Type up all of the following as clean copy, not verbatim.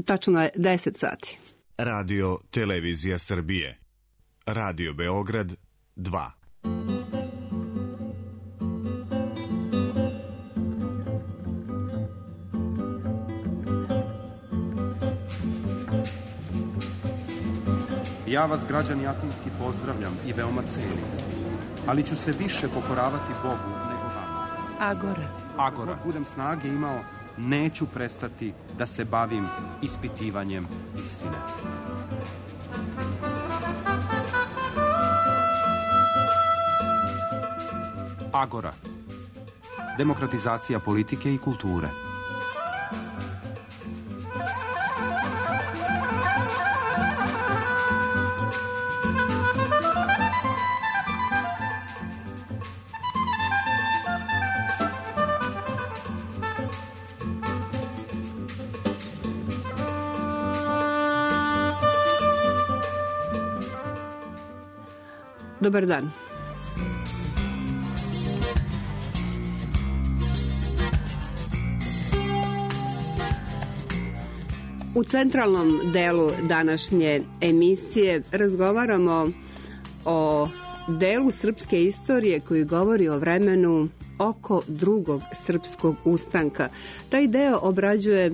Tačno je 10 sati. Radio Televizija Srbije. Radio Beograd 2. Ja vas, građani Atinski, pozdravljam i veoma cenim, ali ću se više pokoravati Bogu nego vama. Agora. Budem snage imao, neću prestati da se bavim ispitivanjem istine. Agora. Demokratizacija politike i kulture. Dobar dan. U centralnom delu današnje emisije razgovaramo o delu srpske istorije koji govori o vremenu oko drugog srpskog ustanka. Taj deo obrađuje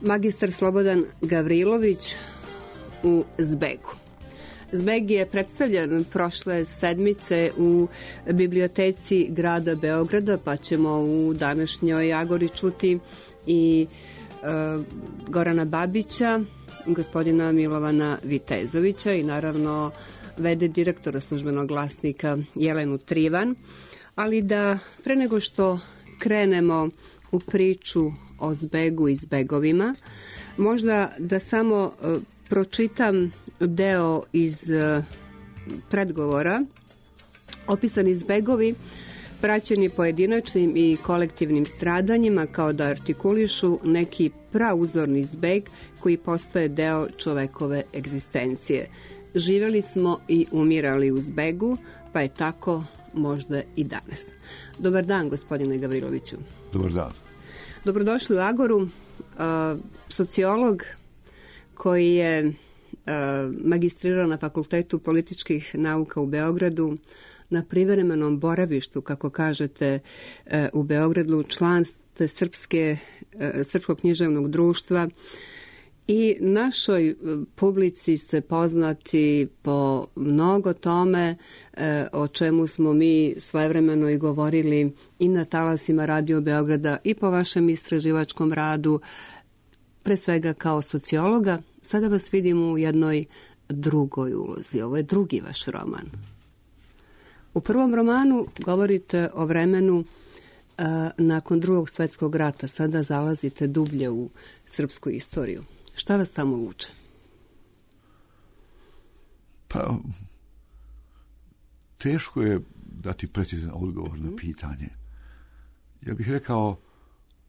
magistar Slobodan Gavrilović u Zbegu. Zbeg je predstavljen prošle sedmice u biblioteci grada Beograda, pa ćemo u današnjoj Agori čuti i Gorana Babića, gospodina Milovana Vitezovića i naravno v.d. direktora Službenog glasnika Jelenu Trivan. Ali da pre nego što krenemo u priču o Zbegu i Zbegovima, možda da samo pročitam deo iz predgovora. Opisani zbegovi praćeni pojedinačnim i kolektivnim stradanjima kao da artikulišu neki prauzorni zbeg koji postaje deo čovekove egzistencije. Živeli smo i umirali u zbegu, pa je tako možda i danas. Dobar dan, gospodine Gavriloviću. Dobar dan. Dobrodošli u Agoru. Sociolog koji je magistrirao na Fakultetu političkih nauka u Beogradu, na privremenom boravištu, kako kažete, u Beogradu, član ste Srpskog književnog društva i našoj publici ste poznati po mnogo tome o čemu smo mi svojevremeno i govorili i na talasima Radio Beograda i po vašem istraživačkom radu, pre svega kao sociologa. Sada vas vidim u jednoj drugoj ulozi. Ovo je drugi vaš roman. U prvom romanu govorite o vremenu nakon Drugog svjetskog rata. Sada zalazite dublje u srpsku istoriju. Šta vas tamo vuče? Pa, teško je dati precizan odgovor na pitanje. Ja bih rekao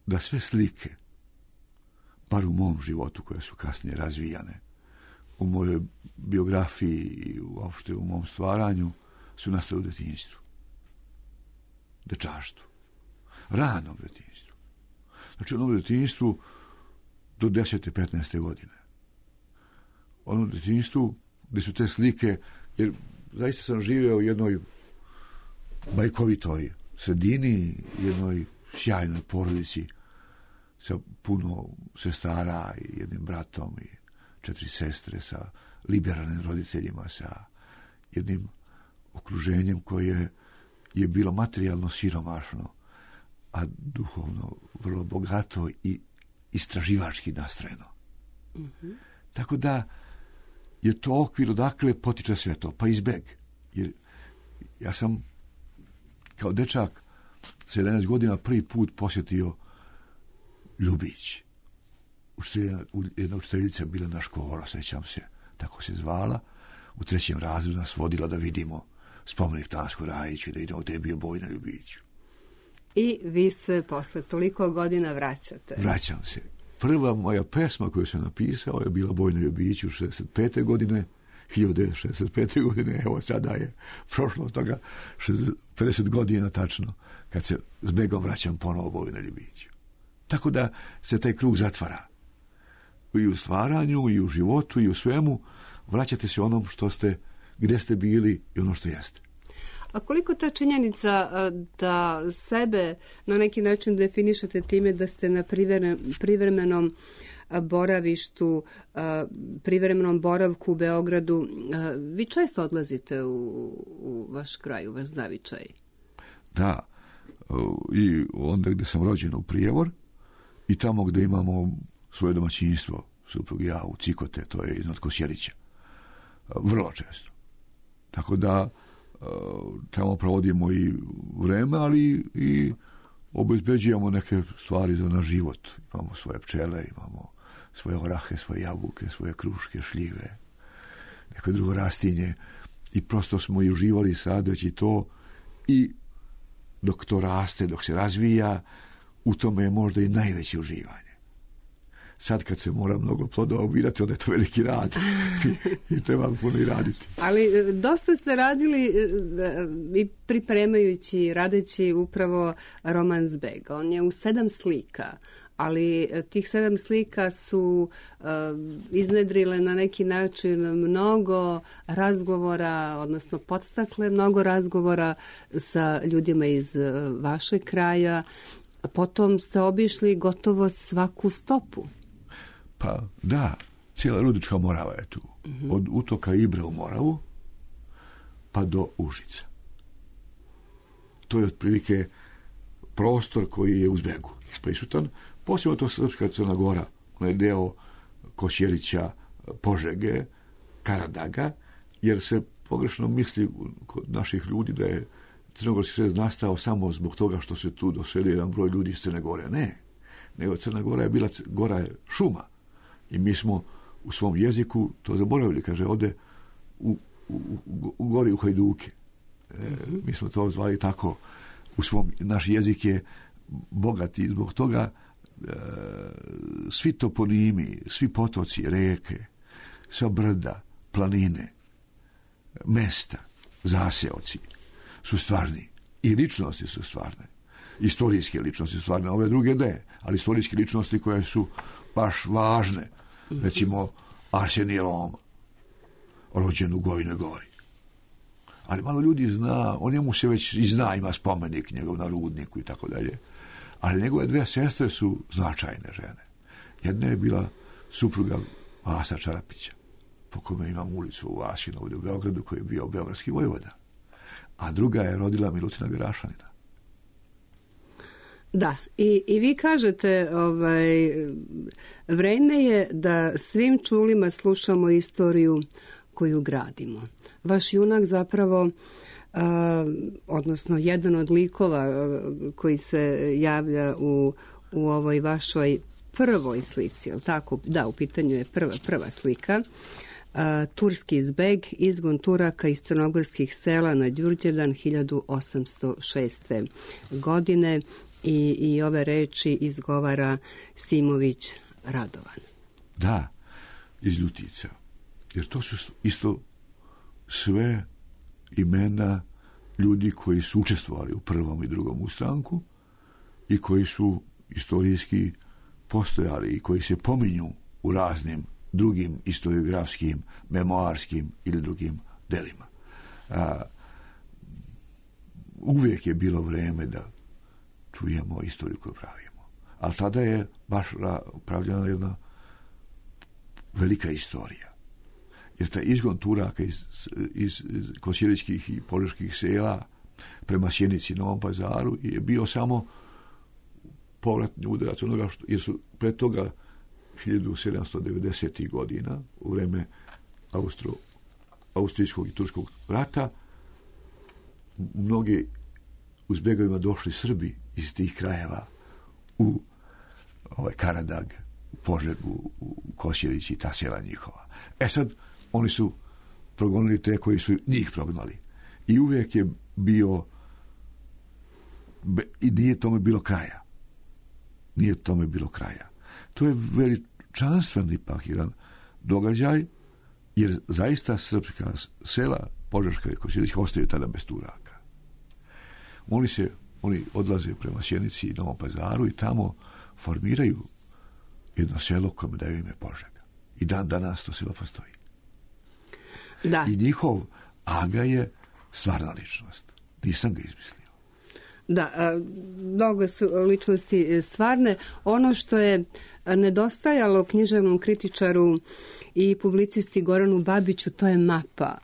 da sve slike, bar u mom životu, koje su kasnije razvijane, u mojoj biografiji i uopšte u mom stvaranju, su nastale u detinjstvu. Dečaštvu. Ranom detinjstvu. Znači, ono u detinjstvu do 10. 15. godine. Ono u detinjstvu gdje su te slike, jer zaista sam živio u jednoj bajkovitoj sredini, jednoj sjajnoj porodici sa puno sestara i jednim bratom i 4 sestre, sa liberalnim roditeljima, sa jednim okruženjem koje je bilo materijalno siromašno, a duhovno vrlo bogato i istraživački nastrojeno. Mm-hmm. Tako da je to okvir odakle potiče sve to, pa i Zbeg. Jer ja sam kao dečak sa 11 godina prvi put posjetio Ljubić. Jedna učiteljica Milena Škora, sećam se, tako se zvala, u 3. razredu nas vodila da vidimo spomenik Tansko Rajiću, da idemo gde je bio boj na Ljubiću. I vi se posle toliko godina vraćate. Vraćam se. Prva moja pesma koju sam napisao je bila Boj na Ljubiću 65. godine, 1965. godine, evo sada je prošlo od toga 50 godina tačno, kad se Zbegom vraćam ponovo Boju na Ljubiću. Tako da se taj krug zatvara. i u stvaranju, i u životu, i u svemu, vraćate se onom što ste, gdje ste bili i ono što jeste. A koliko ta činjenica da sebe na neki način definišete time da ste na privremenom boravištu, privremenom boravku u Beogradu, vi često odlazite u vaš kraj, u vaš zavičaj? Da, i onda gdje sam rođen u Prijevor i tamo gdje imamo svoje domaćinstvo, suprug i ja, u Cikote, to je iznad Kosjerića. Vrlo često. Tako da tamo provodimo i vreme, ali i obezbeđujemo neke stvari za naš život. Imamo svoje pčele, imamo svoje orahe, svoje jabuke, svoje kruške, šljive, neko drugo rastinje. I prosto smo i uživali sadeći to i dok to raste, dok se razvija, u tome je možda i najveće uživanje. Sad kad se mora mnogo plodova ubirati, onda je to veliki rad i treba puno i raditi. Ali dosta ste radili i pripremajući, radeći upravo roman Zbeg. On je u 7 slika, ali tih 7 slika su iznedrile na neki način mnogo razgovora, odnosno podstakle mnogo razgovora sa ljudima iz vašeg kraja. Potom ste obišli gotovo svaku stopu. Pa da, cijela Rudička Morava je tu. Od utoka Ibre u Moravu pa do Užica. To je otprilike prostor koji je u Zbegu prisutan. Posebno to Srpska Crna Gora, onaj deo Kosjerića, Požege, Karadaga, jer se pogrešno misli kod naših ljudi da je Crnogorski sred nastao samo zbog toga što se tu doselio jedan broj ljudi iz Crne Gore. Ne. Nego Crna Gora je bila gora šuma. I mi smo u svom jeziku to zaboravili. Kaže, ode u gori u Hajduke. Mi smo to zvali tako. Naš jezik je bogat i zbog toga svi toponimi, svi potoci, reke, sva brda, planine, mesta, zaseoci su stvarni. I ličnosti su stvarne. Istorijske ličnosti su stvarne. Ove druge ne. Ali istorijske ličnosti koje su baš važne. Recimo Arsenije Loma, rođen u Gojnoj Gori. Ali malo ljudi zna, on njemu se već i zna, ima spomenik njegov na Rudniku i tako dalje. Ali njegove 2 sestre su značajne žene. Jedna je bila supruga Vasa Čarapića, po kome imam ulicu u Vasinu ovdje u Beogradu, koji je bio beogradski vojvoda. A druga je rodila Milutina Gerašanina. Da, i vi kažete, vreme je da svim čulima slušamo istoriju koju gradimo. Vaš junak zapravo, odnosno jedan od likova koji se javlja u ovoj vašoj prvoj slici, je li tako? Da, u pitanju je prva slika. Turski Zbeg, izgon Turaka iz crnogorskih sela na Đurđevdan 1806. godine. I ove reči izgovara Simović Radovan. Da, iz Ljutica. Jer to su isto sve imena ljudi koji su učestvovali u prvom i drugom ustanku i koji su istorijski postojali i koji se pominju u raznim drugim historiografskim, memoarskim ili drugim delima. Uvijek je bilo vreme da čujemo istoriju koju pravimo. Ali tada je baš pravljena jedna velika istorija. Jer taj izgon Turaka iz kosjeričkih i požeških sela prema Sjenici i Novom Pazaru je bio samo povratni udarac onoga jer su pre toga 1790. godina u vreme Austrijskog i Turskog rata mnogi u Zbegovima došli Srbi iz tih krajeva u Karadag, u Požegu, u Kosjerići i ta sela njihova. Sad, oni su progonili te koji su njih prognali. I uvijek je bio i nije tome bilo kraja. Nije tome bilo kraja. To je veličanstven ipak jedan događaj, jer zaista srpska sela, Požeška i Kosjerićka, ostaju tada bez Turaka. Oni odlaze prema Sjenici i Novom Pazaru i tamo formiraju jedno selo kome daju ime Požega. I dan danas to selo postoji. Da. I njihov aga je stvarna ličnost. Nisam ga izmislio. Da, mnogo su ličnosti stvarne. Ono što je nedostajalo književnom kritičaru i publicisti Goranu Babiću, to je mapa.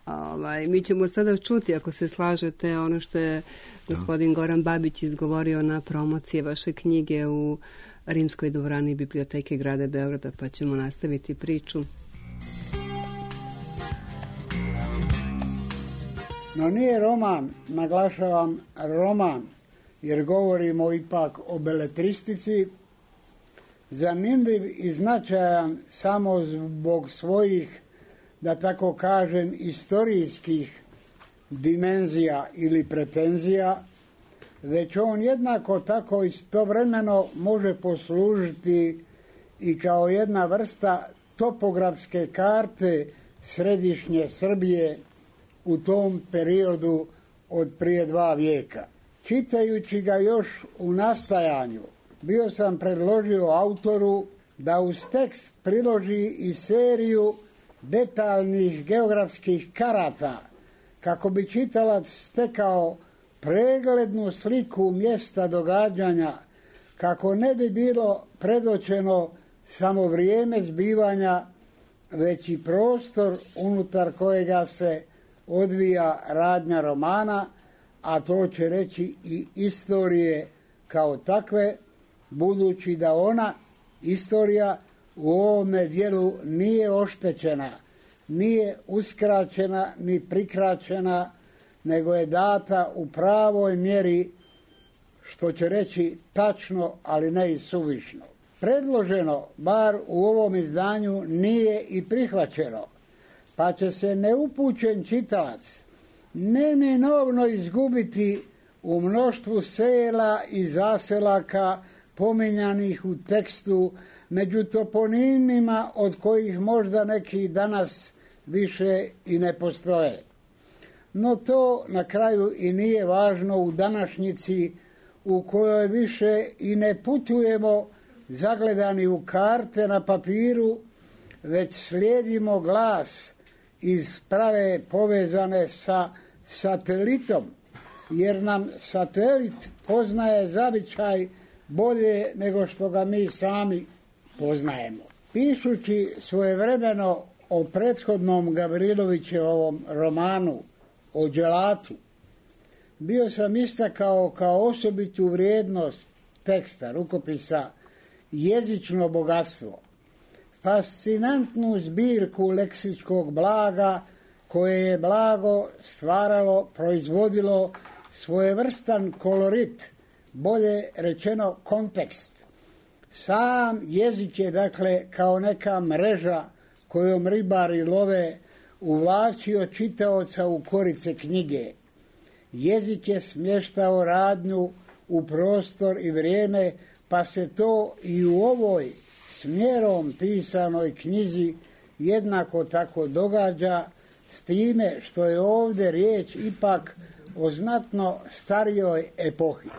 Mi ćemo sada čuti, ako se slažete, ono što je gospodin Goran Babić izgovorio na promocije vaše knjige u Rimskoj dvorani Biblioteke grada Beograda, pa ćemo nastaviti priču. No nije roman, naglašavam roman, jer govorimo ipak o beletristici, zanimljiv i značajan samo zbog svojih, da tako kažem, istorijskih dimenzija ili pretenzija, već on jednako tako istovremeno može poslužiti i kao jedna vrsta topografske karte središnje Srbije u tom periodu od prije 2 vijeka. Čitajući ga još u nastajanju, bio sam predložio autoru da uz tekst priloži i seriju detaljnih geografskih karata, kako bi čitalac stekao preglednu sliku mjesta događanja, kako ne bi bilo predočeno samo vrijeme zbivanja, već i prostor unutar kojega se odvija radnja romana, a to će reći i istorije kao takve, budući da ona, istorija, u ovome dijelu nije oštećena, nije uskraćena ni prikraćena, nego je data u pravoj mjeri, što će reći tačno, ali ne i suvišno. Predloženo, bar u ovom izdanju, nije i prihvaćeno, pa će se neupućen čitalac neminovno izgubiti u mnoštvu sela i zaselaka pominjanih u tekstu, među toponimima od kojih možda neki danas više i ne postoje. No to na kraju i nije važno u današnjici u kojoj više i ne putujemo zagledani u karte na papiru, već slijedimo glas iz prave povezane sa satelitom, jer nam satelit poznaje zavičaj bolje nego što ga mi sami poznajemo. Pišući svojevremeno o prethodnom Gavrilovićevom romanu o dželatu, bio sam istakao kao osobitu vrijednost teksta, rukopisa, jezično bogatstvo, fascinantnu zbirku leksičkog blaga koje je blago stvaralo, proizvodilo svojevrstan kolorit, bolje rečeno kontekst. Sam jezik je, dakle, kao neka mreža kojom ribari love, uvlačio čitaoca u korice knjige. Jezik je smještao radnju u prostor i vrijeme, pa se to i u ovoj smjerom pisanoj knjizi jednako tako događa, s time što je ovdje riječ ipak o znatno starijoj epohi.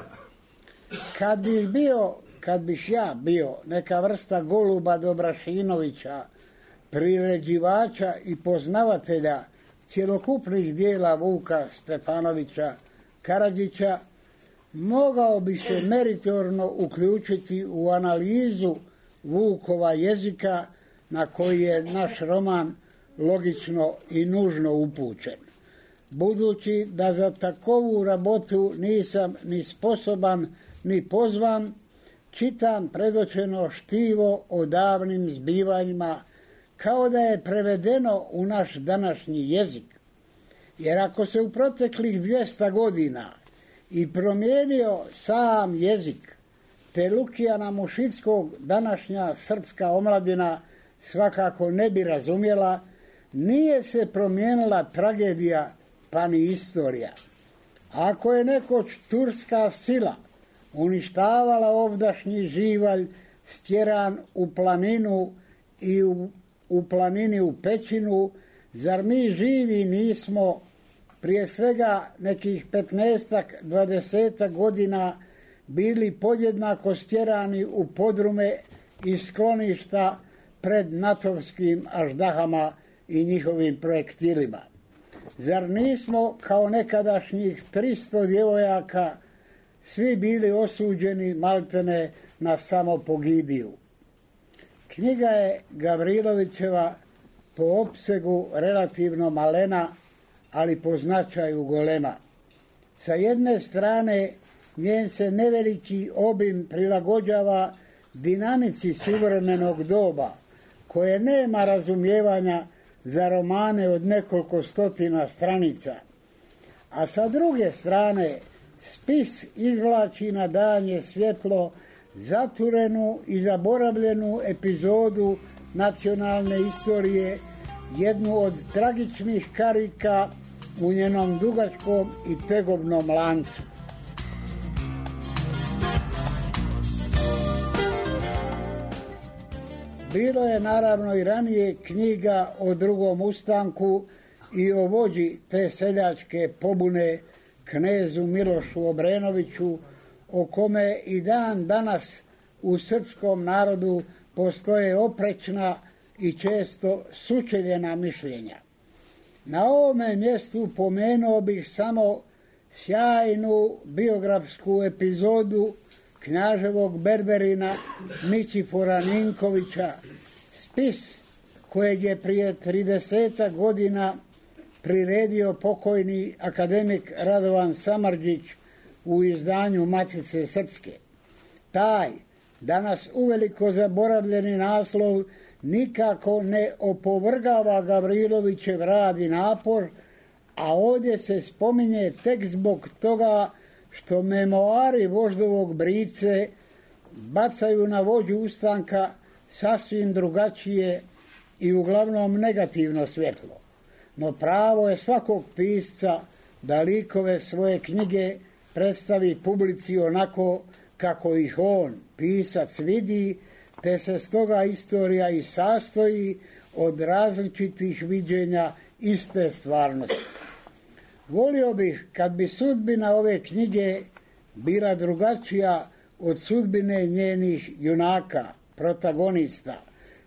Kad bih ja bio neka vrsta Goluba Dobrašinovića, priređivača i poznavatelja cjelokupnih dijela Vuka Stefanovića Karadžića, mogao bi se meritorno uključiti u analizu Vukova jezika na koji je naš roman logično i nužno upućen. Budući da za takovu rabotu nisam ni sposoban ni pozvan, čitam predočeno štivo o davnim zbivanjima kao da je prevedeno u naš današnji jezik. Jer ako se u proteklih 200 godina i promijenio sam jezik, te Lukijana Mušickog današnja srpska omladina svakako ne bi razumjela, nije se promijenila tragedija pa ni istorija. Ako je nekoć turska sila uništavala ovdašnji živalj stjeran u planinu i u planini u pećinu, zar mi živi nismo prije svega nekih 15-20 godina bili podjednako stjerani u podrume i skloništa pred natovskim aždahama i njihovim projektilima. Zar nismo kao nekadašnjih 300 djevojaka svi bili osuđeni maltene na samopogibiju? Knjiga je Gavrilovićeva po opsegu relativno malena, ali po značaju golema. Sa jedne strane, njen se neveliki obim prilagođava dinamici suvremenog doba, koje nema razumijevanja za romane od nekoliko stotina stranica. A sa druge strane, spis izvlači na danje svjetlo zaturenu i zaboravljenu epizodu nacionalne istorije, jednu od tragičnih karika u njenom dugačkom i tegobnom lancu. Bilo je naravno i ranije knjiga o Drugom ustanku i o vođi te seljačke pobune, knezu Milošu Obrenoviću, o kome i dan danas u srpskom narodu postoje oprečna i često sučeljena mišljenja. Na ovome mjestu pomenuo bih samo sjajnu biografsku epizodu knjaževog berberina Ničifora Ninkovića, spis kojeg je prije 30 godina priredio pokojni akademik Radovan Samardžić u izdanju Matice Srpske. Taj, danas uveliko zaboravljeni naslov, nikako ne opovrgava Gavrilovićev rad i napor, a ovdje se spominje tek zbog toga što memoari voždovog Brice bacaju na vođu ustanka sasvim drugačije i uglavnom negativno svjetlo. No pravo je svakog pisca da likove svoje knjige predstavi publici onako kako ih on, pisac, vidi, te se stoga istorija i sastoji od različitih viđenja iste stvarnosti. Volio bih kad bi sudbina ove knjige bila drugačija od sudbine njenih junaka, protagonista,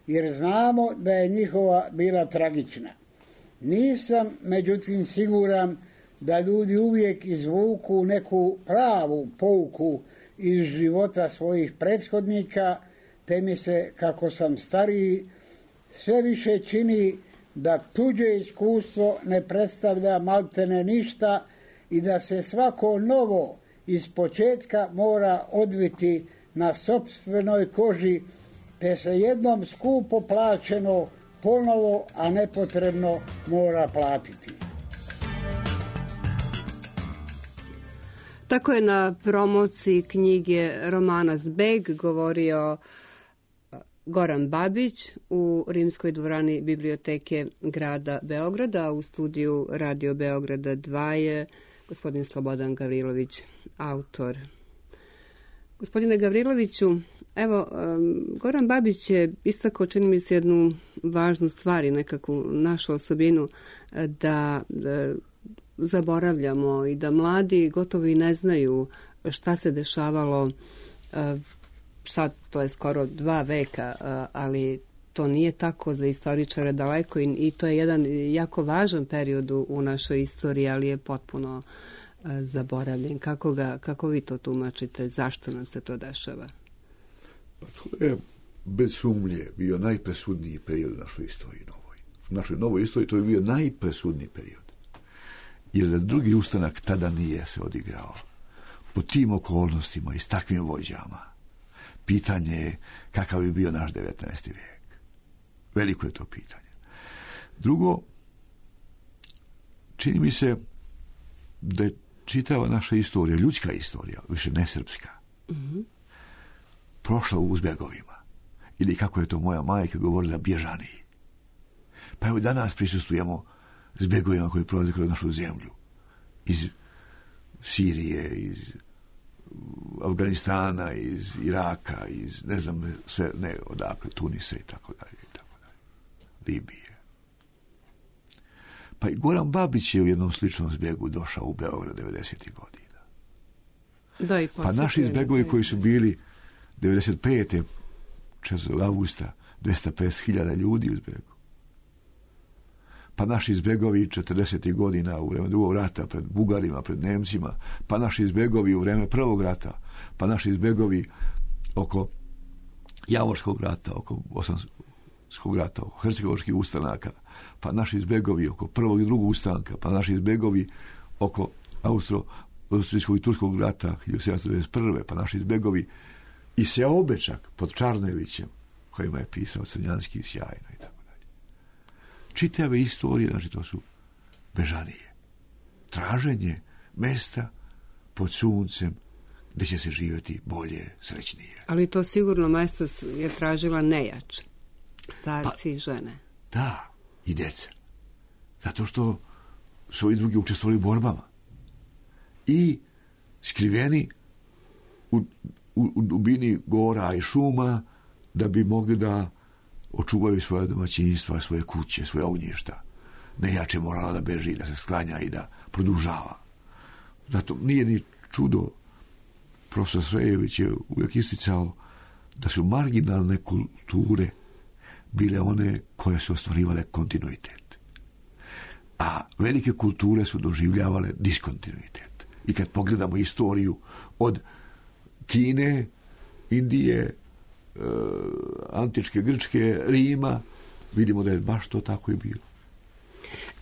jer znamo da je njihova bila tragična. Nisam, međutim, siguran da ljudi uvijek izvuku neku pravu pouku iz života svojih prethodnika, te mi se, kako sam stariji, sve više čini da tuđe iskustvo ne predstavlja maltene ništa i da se svako novo iz početka mora odviti na sopstvenoj koži, te se jednom skupo plaćeno ponovo, a nepotrebno, mora platiti. Tako je na promociji knjige romana Zbeg govorio Goran Babić u Rimskoj dvorani Biblioteke grada Beograda, a u studiju Radio Beograda 2 je gospodin Slobodan Gavrilović, autor. Gospodine Gavriloviću, evo, Goran Babić je istakao, čini mi se, jednu važnu stvar i nekakvu našu osobinu, da zaboravljamo i da mladi gotovo i ne znaju šta se dešavalo. Sad to je skoro 2 veka, ali to nije tako za istoričare daleko i to je jedan jako važan period u našoj istoriji, ali je potpuno zaboravljen. Kako vi to tumačite? Zašto nam se to dešava? Pa to je bez sumnje bio najpresudniji period u našoj istoriji novoj. U našoj novoj istoriji to je bio najpresudniji period. Jer da drugi ustanak tada nije se odigrao po tim okolnostima i s takvim vođama, pitanje je kakav bi bio naš 19. vijek. Veliko je to pitanje. Drugo, čini mi se da je čitava naša istorija, ljudska istorija, više ne srpska, prošla u zbjegovima. Ili kako je to moja majka govorila, bježaniji. Pa evo danas prisustujemo zbjegovima koji prolaze kroz našu zemlju. Iz Sirije, iz Afganistana, iz Iraka, iz ne znam sve, ne odakle, Tunisa i tako dalje, Libije. Pa i Goran Babić je u jednom sličnom zbjegu došao u Beograd 90. godina. Pa naši zbjegovi koji su bili 95. 4. augusta 250.000 ljudi u zbegu. Pa naši zbegovi 40. godina u vreme drugog rata pred Bugarima, pred Nemcima, pa naši zbegovi u vreme prvog rata, pa naši zbegovi oko Javorskog rata, oko Bosanskog rata, oko hercegovačkih ustanaka, pa naši zbegovi oko prvog i drugog ustanka, pa naši zbegovi oko austrijskog i turskog rata 1791. pa naši zbegovi i Seobečak pod Čarnevićem, kojima je pisao Crnjanski sjajno i tako dalje. Čitave istorije, znači to su bežanije. Traženje mesta pod suncem gdje će se živjeti bolje, srećnije. Ali to sigurno mesto je tražila nejač. Starci i žene. Da, i deca. Zato što su i drugi učestvovali u borbama. I skriveni u dubini gora i šuma da bi mogli da očuvaju svoje domaćinstva, svoje kuće, svoje ognjišta. Nejače morala da beži, da se sklanja i da produžava. Zato nije ni čudo, profesor Srejević je uvijek isticao da su marginalne kulture bile one koje su ostvarivale kontinuitet. A velike kulture su doživljavale diskontinuitet. I kad pogledamo istoriju od Kine, Indije, antičke Grčke, Rima, vidimo da je baš to tako i bilo.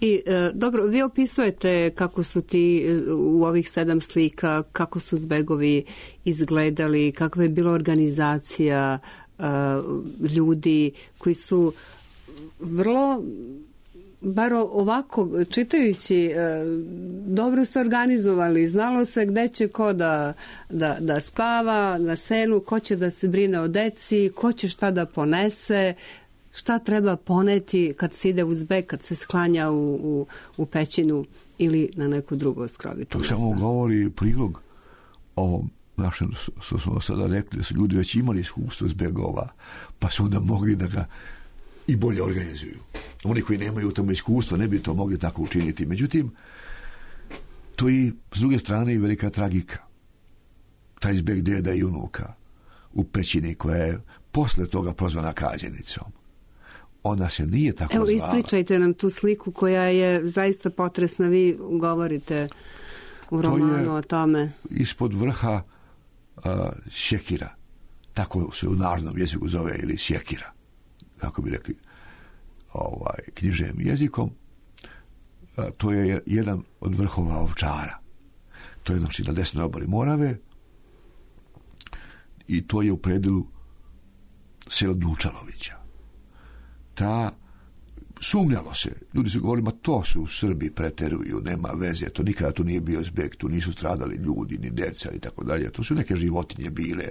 I dobro, vi opisujete kako su ti u ovih 7 slika, kako su zbegovi izgledali, kakva je bila organizacija ljudi koji su vrlo, bar ovako čitajući, dobro se organizovali, znalo se gde će ko da spava na selu, ko će da se brine o deci, ko će šta da ponese, šta treba poneti kad se ide u zbeg, kad se sklanja u pećinu ili na neku drugu skrovitu. To samo govori prilog o našem, što smo sada rekli, da su ljudi već imali iskustvo zbegova, pa su onda mogli da ga i bolje organizuju. Oni koji nemaju tamo iskustva ne bi to mogli tako učiniti. Međutim, to i s druge strane i velika tragika. Taj zbeg deda i unuka u pećini koja je posle toga prozvana Kađenicom. Ona se nije tako zvala. Evo, ispričajte nam tu sliku koja je zaista potresna. Vi govorite u romanu o tome. Ispod vrha sjekira. Tako se u narodnom jeziku zove, ili sjekira. Kako bi rekli književnim jezikom. To je jedan od vrhova Ovčara. To je znači na desnoj obali Morave i to je u predilu sela Dučalovića. Sumnjalo se. Ljudi su govorili, ma to su Srbi, preteruju, nema veze, to nikada tu nije bio zbeg, tu nisu stradali ljudi, ni deca i tako dalje. To su neke životinje bile,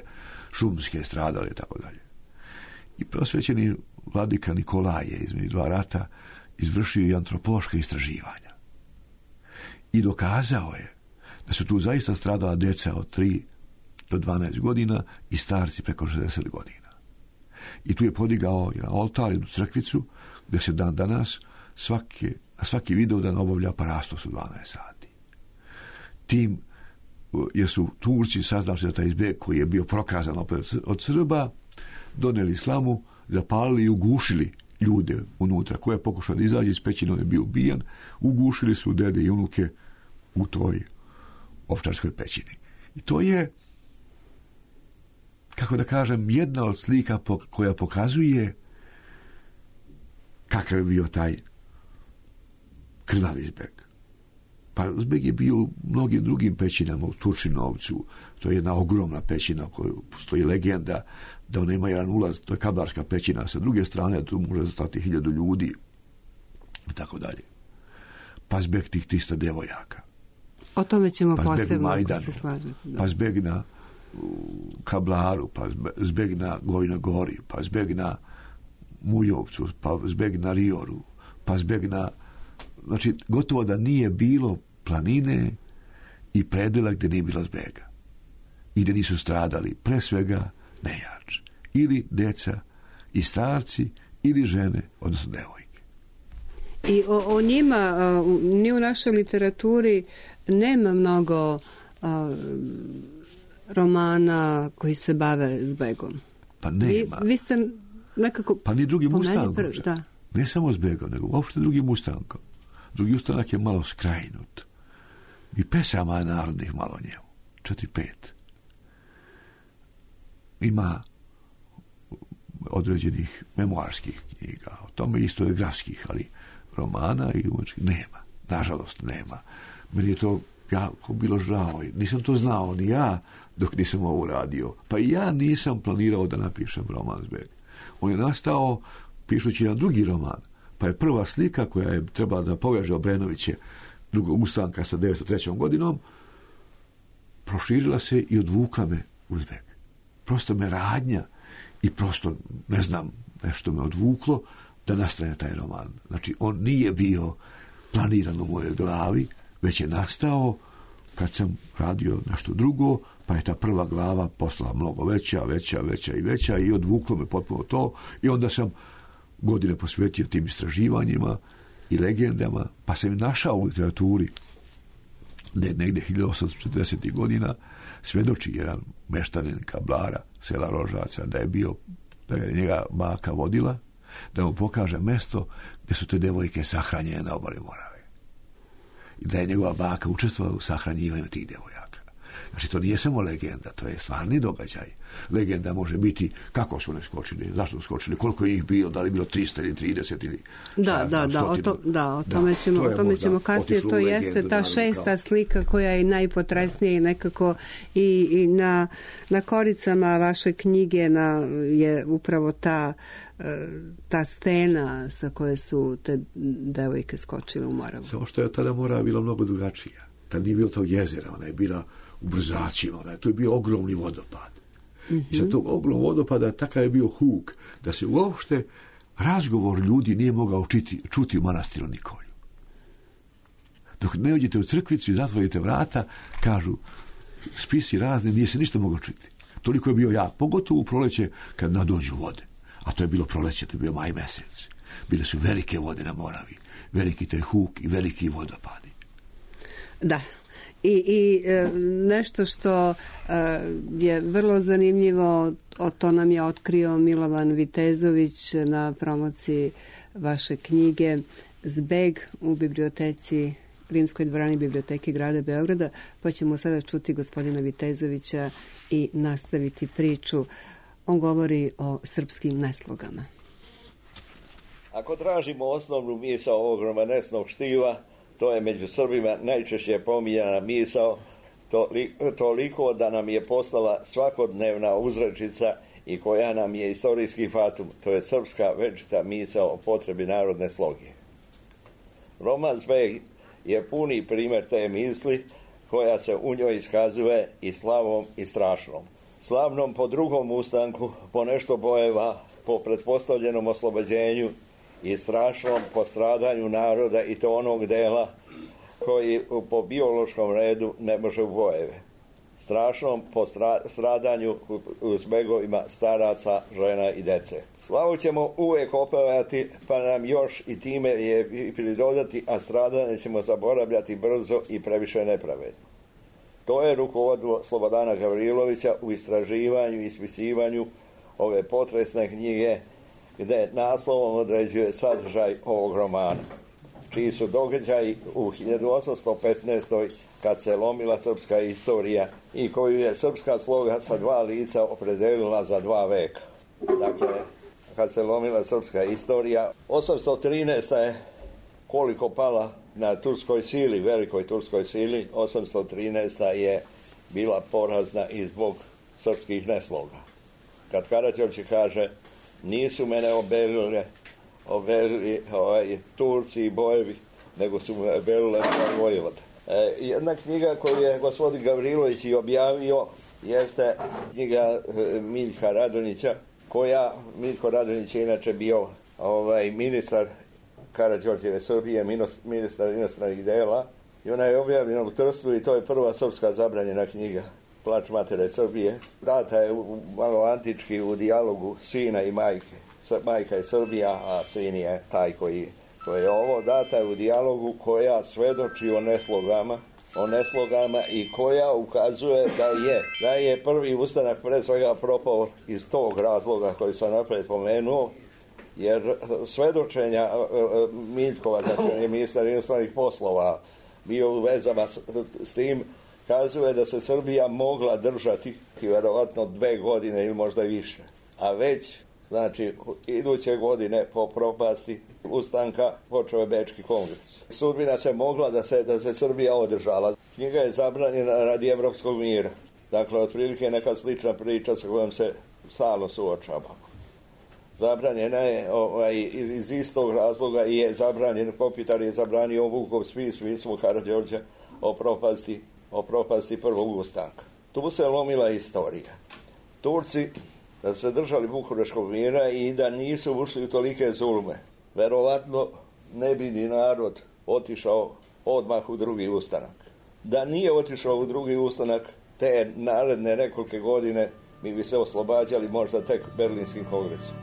šumske stradale i tako dalje. I prosvećeni vladika Nikolaj je između 2 rata izvršio i antropološka istraživanja. I dokazao je da su tu zaista stradala deca od 3 do 12 godina i starci preko 60 godina. I tu je podigao jedan oltar, jednu crkvicu, gdje se dan danas svaki Vidovdan obavlja parastos u 12 sati. Tim, jer su Turci saznavši za taj zbeg koji je bio prokazan od Srba, doneli slamu, zapalili i ugušili ljude unutra. Ko je pokušao da izađe iz pećine, je bio ubijan, ugušili su dede i unuke u toj ovčarskoj pećini. I to je, kako da kažem, jedna od slika koja pokazuje kakav je bio taj krvavi zbeg. Pa zbeg je bio u mnogim drugim pećinama, u Turčinovcu. To je jedna ogromna pećina koju postoji legenda da ona ima jedan ulaz, to je kablarska pećina, sa druge strane tu može stati 1000 ljudi i tako dalje. Pa zbeg tih 300 devojaka. O tome ćemo pa posebno, Majdanu, ako se slažete. Da. Pa zbeg na Kablaru, pa zbeg na Govina Gori, pa zbeg na Mujovcu, pa zbeg na Rioru, pa zbeg na... Znači, gotovo da nije bilo planine i predela gdje nije bilo zbega. I gdje nisu stradali, pre svega, nejač. Ili deca i starci, ili žene, odnosno devojke. I o njima, ni u našoj literaturi, nema mnogo romana koji se bave zbegom. Pa nema. Vi ste nekako... Pa ni drugim ustankom. Ne samo Zbegom, nego uopšte drugim ustankom. Drugi ustanak je malo skrajnut. I pesama je narodnih malo njemu. 4-5. Ima određenih memoarskih knjiga, o tome historiografskih, ali romana i umetničkih nema. Nažalost, nema. Meni je to jako bilo žao. Nisam to znao ni ja dok nisam ovo uradio. Pa i ja nisam planirao da napišem roman Zbeg. On je nastao pišući jedan drugi roman. Pa je prva slika koja je trebala da poveže Obrenoviće drugog ustanka sa 1903. godinom proširila se i odvukla me u Zbeg. Prosto me radnja i prosto, ne znam, nešto me odvuklo da nastane taj roman. Znači, on nije bio planiran u mojoj glavi, već je nastao kad sam radio nešto drugo, pa je ta prva glava postala mnogo veća i odvuklo me potpuno to i onda sam godine posvetio tim istraživanjima i legendama, pa sam našao u literaturi da je negde 1840. godina svedoči jedan meštanin Kablara, sela Rožaca, da je njega baka vodila, da mu pokaže mesto gdje su te devojke sahranjene na obali Morave. I da je njegova baka učestvovala u sahranjivanju tih devojaka. Znači, to nije samo legenda, to je stvarni događaj. Legenda može biti kako su ne skočili, zašto su skočili, koliko je ih bilo, da li bilo 300 ili 30 ili... O tome ćemo kasnije. To jeste ta šesta slika koja je najpotresnija i nekako i na koricama vaše knjige je upravo ta scena sa koje su te devojke skočile u Moravu. Samo što je tada Morava bila mnogo drugačija. Tad nije bilo tog jezera, ona je bila u Brzaćima, to je bio ogromni vodopad. I sa tog ogromnog vodopada takav je bio huk, da se uopšte razgovor ljudi nije mogao čuti u manastiru Nikolju. Dok ne uđete u crkvicu i zatvorite vrata, kažu spisi razni, nije se ništa moglo čuti. Toliko je bio jak, pogotovo u proleće kad nadođu vode. A to je bilo proleće, to je bio maj mesec. Bile su velike vode na Moravi, veliki taj huk i veliki vodopadi. Da. I nešto što je vrlo zanimljivo, to nam je otkrio Milovan Vitezović na promociji vaše knjige Zbeg u biblioteci, Rimskoj dvorani biblioteke grada Beograda, pa ćemo sada čuti gospodina Vitezovića i nastaviti priču. On govori o srpskim neslogama. Ako tražimo osnovnu misao ovog romanesnog štiva, to je među Srbima najčešće pominjana misao, toliko da nam je postala svakodnevna uzrečica i koja nam je istorijski fatum, to je srpska večita misao o potrebi narodne sloge. Roman Zbeg je puni primjer te misli koja se u njoj iskazuje i slavom i strašnom. Slavnom po drugom ustanku, po nešto bojeva, po pretpostavljenom oslobođenju i strašnom po stradanju naroda i to onog dela koji po biološkom redu ne može u bojeve. Strašnom po stradanju u zbegovima staraca, žena i dece. Slavu ćemo uvijek opevati, pa nam još i time je pridodati, a stradanje ćemo zaboravljati brzo i previše nepravedno. To je rukovodilo Slobodana Gavrilovića u istraživanju i ispisivanju ove potresne knjige, gdje naslovom određuje sadržaj ovog romana, čiji su događaji u 1815. kad se lomila srpska istorija i koju je srpska sloga sa dva lica opredelila za 2 veka. Dakle, kad se lomila srpska istorija, 813. je koliko pala na turskoj sili, velikoj turskoj sili, 813. je bila porazna i zbog srpskih nesloga. Kad Karađorđe kaže nisu mene obelili Turci i bojevi, nego su me obelile vojvode. Jedna knjiga koju je gospodin Gavrilović i objavio jeste knjiga Miljka Radonjića, Miljko Radonjić je inače bio ministar Karađorđeve Srbije, ministar inostranih dela, i ona je objavljena u Trstu i to je prva srpska zabranjena knjiga, Plač matere Srbije. Data je malo antički u dijalogu sina i majke. Majka je Srbija, a sin je taj koji je ovo. Data je u dijalogu koja svedoči o neslogama o neslogama i koja ukazuje da je prvi ustanak pre svega propao iz tog razloga koji sam napred pomenuo, jer svedočenja Miljkova, dakle je ministar inostranih poslova, bio u vezama s tim, kazuje da se Srbija mogla držati vjerovatno 2 godine ili možda i više. A već, znači, iduće godine po propasti ustanka počeo je Bečki kongres. Sudbina se mogla da se Srbija održala. Knjiga je zabranjena radi evropskog mira. Dakle, otprilike neka slična priča sa kojom se stalno suočavamo. Zabranjena je iz istog razloga je zabranjen, Kopitar je zabranio Vukov spis pismo Karađorđa o propasti prvog ustanka. Tu se lomila istorija. Turci, da se držali Bukureškog mira i da nisu ušli u tolike zulme, verovatno ne bi ni narod otišao odmah u drugi ustanak. Da nije otišao u drugi ustanak, te naredne nekolike godine mi bi se oslobađali možda tek Berlinskim kongresom.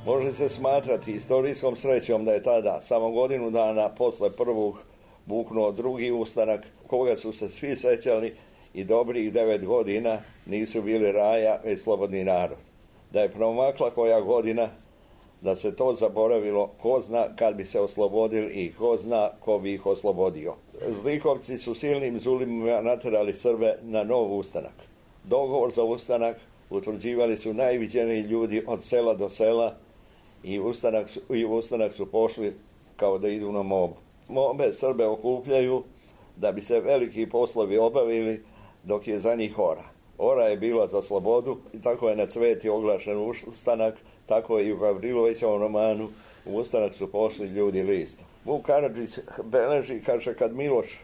Može se smatrati istorijskom srećom da je tada, samo godinu dana posle prvog, buknuo drugi ustanak, koga su se svi sećali i dobrih 9 godina nisu bili raja, već slobodni narod. Da je promakla koja godina, da se to zaboravilo, ko zna kad bi se oslobodili i ko zna ko bi ih oslobodio. Zlikovci su silnim zulimima naterali Srbe na nov ustanak. Dogovor za ustanak utvrđivali su najviđeniji ljudi od sela do sela i u ustanak su pošli kao da idu na mobu. Mobe Srbe okupljaju da bi se veliki poslovi obavili dok je za njih ora. Ora je bila za slobodu i tako je na Cveti oglašen ustanak, tako je i u Gavrilovićevom romanu u ustanak su pošli ljudi listom. Vuk Karadžić beleži, kaže, kad Miloš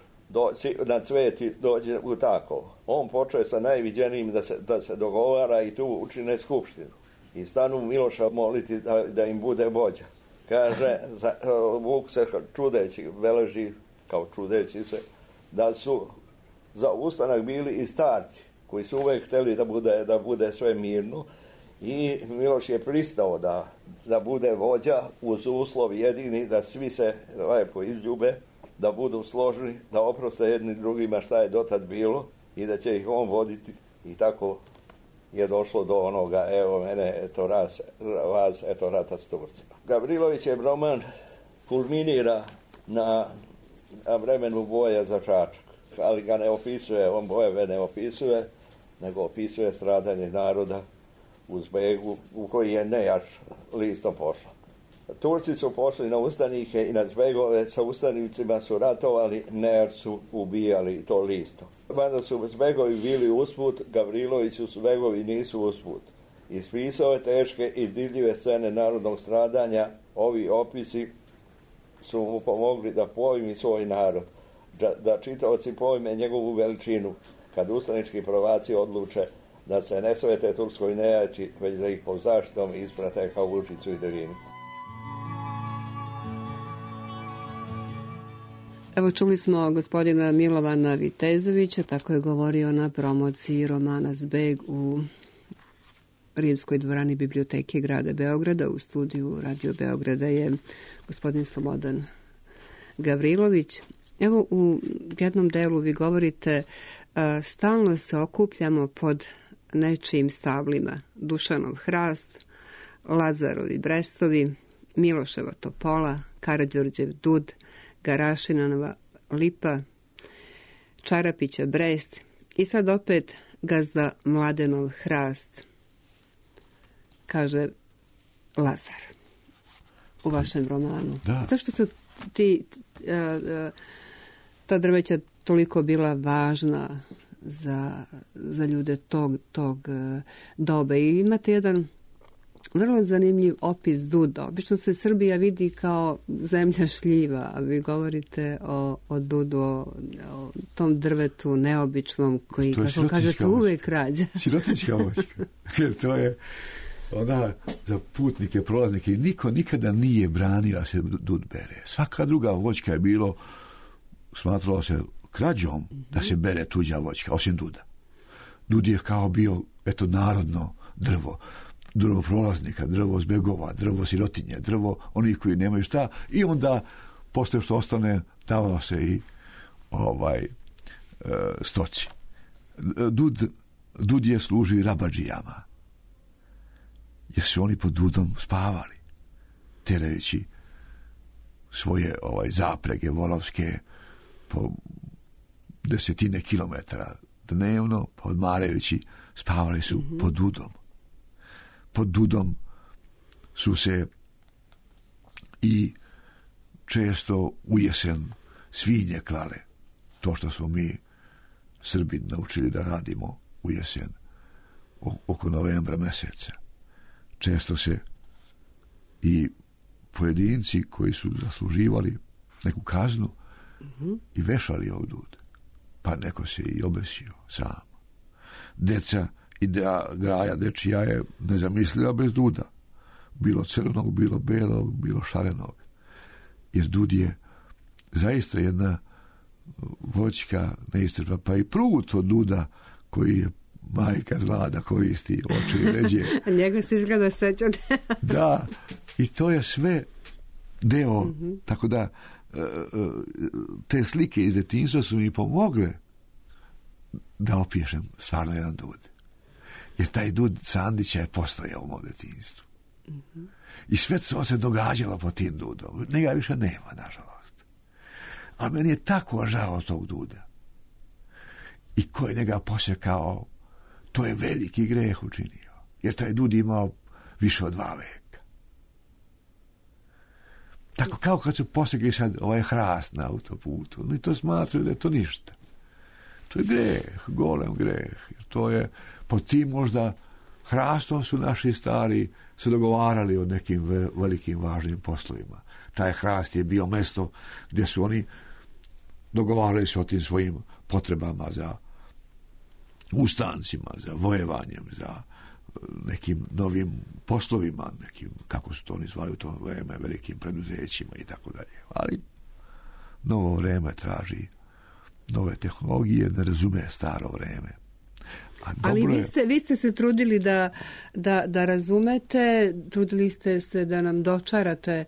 na Cveti dođe u Takovo, on počeo sa najviđenijim da se dogovara i tu učine skupštinu. I stanu Miloša moliti da im bude vođa. Kaže, Vuk se čudeći, beleži kao čudeći se, da su za ustanak bili i starci, koji su uvek hteli da bude sve mirno i Miloš je pristao da bude vođa uz uslov jedini da svi se lepo izljube, da budu složni, da oproste jedni drugima šta je dotad bilo i da će ih on voditi i tako je došlo do onoga, evo mene, eto vas, eto rata s Turcima. Gavrilovićev roman kulminira na vremenu boja za Čačak, ali ga ne opisuje, on bojeve ne opisuje, nego opisuje stradanje naroda u Zbegu, u koji je Nejač listom pošla. Turci su pošli na ustanike i na Zbegove, sa ustanicima su ratovali, Nejač su ubijali to listom. Mada su Zbegovi bili usput, Gavriloviću Zbegovi nisu usput. Ispisao je teške i divljive scene narodnog stradanja, ovi opisi su mu pomogli da pojmi svoj narod, da čitaoci pojme njegovu veličinu, kad ustanički prvaci odluče da se ne svete Turskoj nejači, već da ih pod zaštitom isprate kao Vučicu i Drinu. Evo čuli smo gospodina Milovana Vitezovića, tako je govorio na promociji romana Zbeg u Rimskoj dvorani Biblioteke grada Beograda. U studiju Radio Beograda je gospodin Slobodan Gavrilović. Evo u jednom delu vi govorite stalno se okupljamo pod nečijim stablima. Dušanov hrast, Lazarovi brestovi, Miloševa topola, Karađorđev dud, Garašinova lipa, Čarapića brest i sad opet gazda Mladenov hrast, kaže Lazar u vašem romanu. Da. Zašto su ta drveća toliko bila važna za ljude tog doba? I imate jedan vrlo zanimljiv opis duda. Obično se Srbija vidi kao zemlja šljiva, a vi govorite o dudu, o tom drvetu neobičnom koji, kako kažete, uvek rađa. Sirotička voćka. Jer to je ona za putnike, prolaznike, niko nikada nije branio da se dud bere. Svaka druga voćka je bilo, smatralo se krađom da se bere tuđa voćka, osim duda. Dud je kao bio, eto, narodno drvo. drvo prolaznika, drvo zbjegova, drvo sirotinje, drvo onih koji nemaju šta, i onda posle što ostane davalo se i stoci. Dud je služi rabadžijama, jer su oni pod dudom spavali, terajući svoje zaprege volovske po 10 kilometara dnevno, odmarajući, spavali su pod dudom. Pod dudom su se i često u jesen svinje klale. To što smo mi Srbi naučili da radimo u jesen oko novembra meseca. Često se i pojedinci koji su zasluživali neku kaznu i vešali ovdud. Pa neko se i obesio sam. Deca i graja dečija je nezamisliva bez duda. Bilo crvenog, bilo belog, bilo šarenog. Jer dud je zaista jedna voćka neistrpna, pa i prut od duda koji je majka zla da koristi oči i ređe. Njega se izgleda sećati. Da, i to je sve deo, tako da te slike iz detinjstva su mi pomogle da opišem stvarno jedan dud. Jer taj dud Sandića je postojao u mom detinjstvu. I sve to se događalo po tim dudom. Njega više nema, nažalost. Ali meni je tako žao tog duda. I ko je njega posjekao, to je veliki greh učinio. Jer taj dud imao više od 2 veka. Tako kao kad su posjekli sad hrast na autoputu. Oni to smatraju da je to ništa. To je greh, golem greh. Jer to je, pod tim možda hrastom su naši stari se dogovarali o nekim velikim važnim poslovima. Taj hrast je bio mesto gdje su oni dogovarali se o tim svojim potrebama za ustancima, za vojevanjem, za nekim novim poslovima, nekim, kako su to oni zvali u to vreme, velikim preduzećima i tako dalje. Ali novo vreme traži nove tehnologije, ne razume staro vreme. Ali vi ste se trudili da razumete, trudili ste se da nam dočarate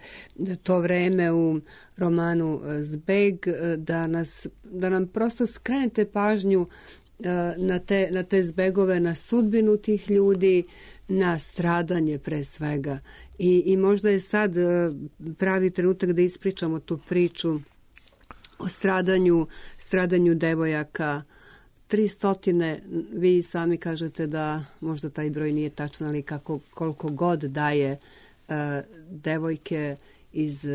to vreme u romanu Zbeg, da nam prosto skrenete pažnju na te zbegove, na sudbinu tih ljudi, na stradanje pre svega. I možda je sad pravi trenutak da ispričamo tu priču o stradanju devojaka. 300, vi sami kažete da možda taj broj nije tačan, ali koliko god daje devojke iz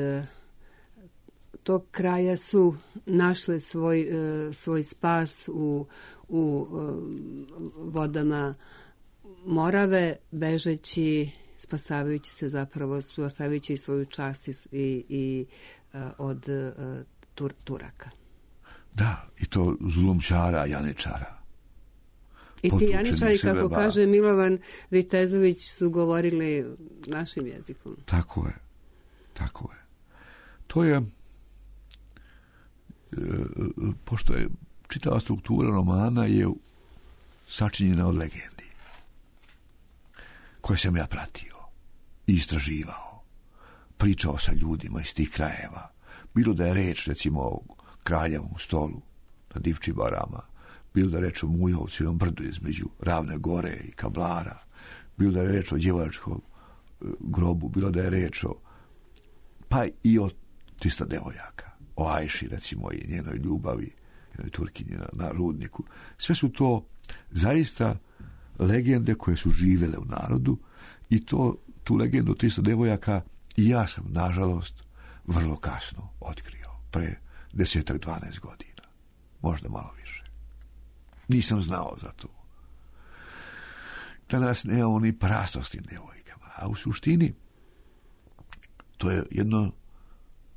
tog kraja su našle svoj spas u vodama Morave, bežeći, spasavajući se zapravo, spasavajući svoju čast i od Turaka. Da, i to zulumčara, janičara. I ti janičari, kako kaže Milovan Vitezović, su govorili našim jezikom. Tako je. Tako je. To je, pošto je čitava struktura romana je sačinjena od legendi koje sam ja pratio i istraživao. Pričao sa ljudima iz tih krajeva. Bilo da je reč, recimo, o Kraljevom stolu na Divčibarama, bilo da je reč o Mujovcu, jednom brdu između Ravne gore i Kablara, bilo da je reč o djevojačkom grobu, bilo da je reč o, pa i o 300 devojaka, o Ajši, recimo, i njenoj ljubavi, jednoj Turkinji na rudniku. Sve su to zaista legende koje su živele u narodu i tu legendu 300 devojaka i ja sam, nažalost, vrlo kasno otkrio, pre 10-12 godina, možda malo više. Nisam znao za to. Danas nemamo ni prasto s tim devojkama, a u suštini to je jedno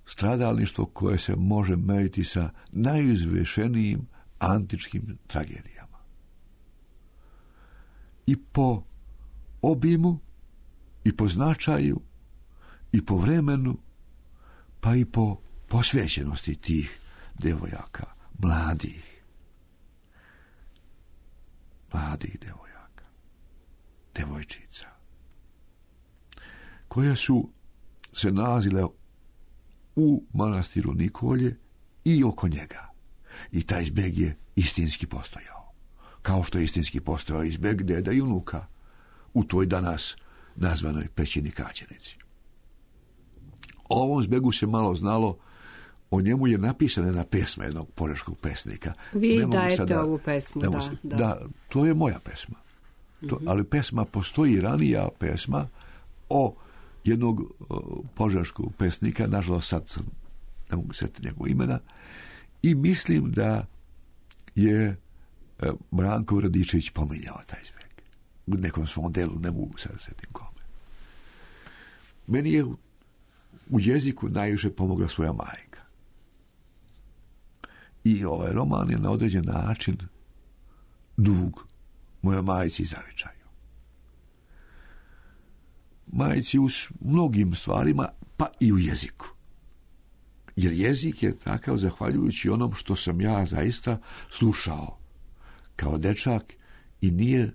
stradalništvo koje se može meriti sa najizvešenijim antičkim tragedijama. I po obimu, i po značaju, i po vremenu, pa i po posvećenosti tih devojaka, mladih devojaka, devojčica, koje su se nalazile u manastiru Nikolje i oko njega. I taj zbeg je istinski postojao. Kao što je istinski postojao i zbeg deda i unuka u toj danas nazvanoj pećini Kaćenici. O ovom zbegu se malo znalo, o njemu je napisana jedna pesma jednog požeškog pesnika. Vi dajete ovu pesmu, da. To je moja pesma. Ali pesma postoji, ranija pesma o jednog požeškog pesnika, nažalost sad ne mogu sjetiti njegovog imena, i mislim da je Branko Radičević pominjao taj zbeg. U nekom svom delu, ne mogu sad sjetiti kome. Meni je u jeziku najviše pomogla svoja majka. I ovaj roman je na određen način dug mojoj majci i zavičaju. Majci u mnogim stvarima, pa i u jeziku. Jer jezik je takav zahvaljujući onom što sam ja zaista slušao kao dečak i nije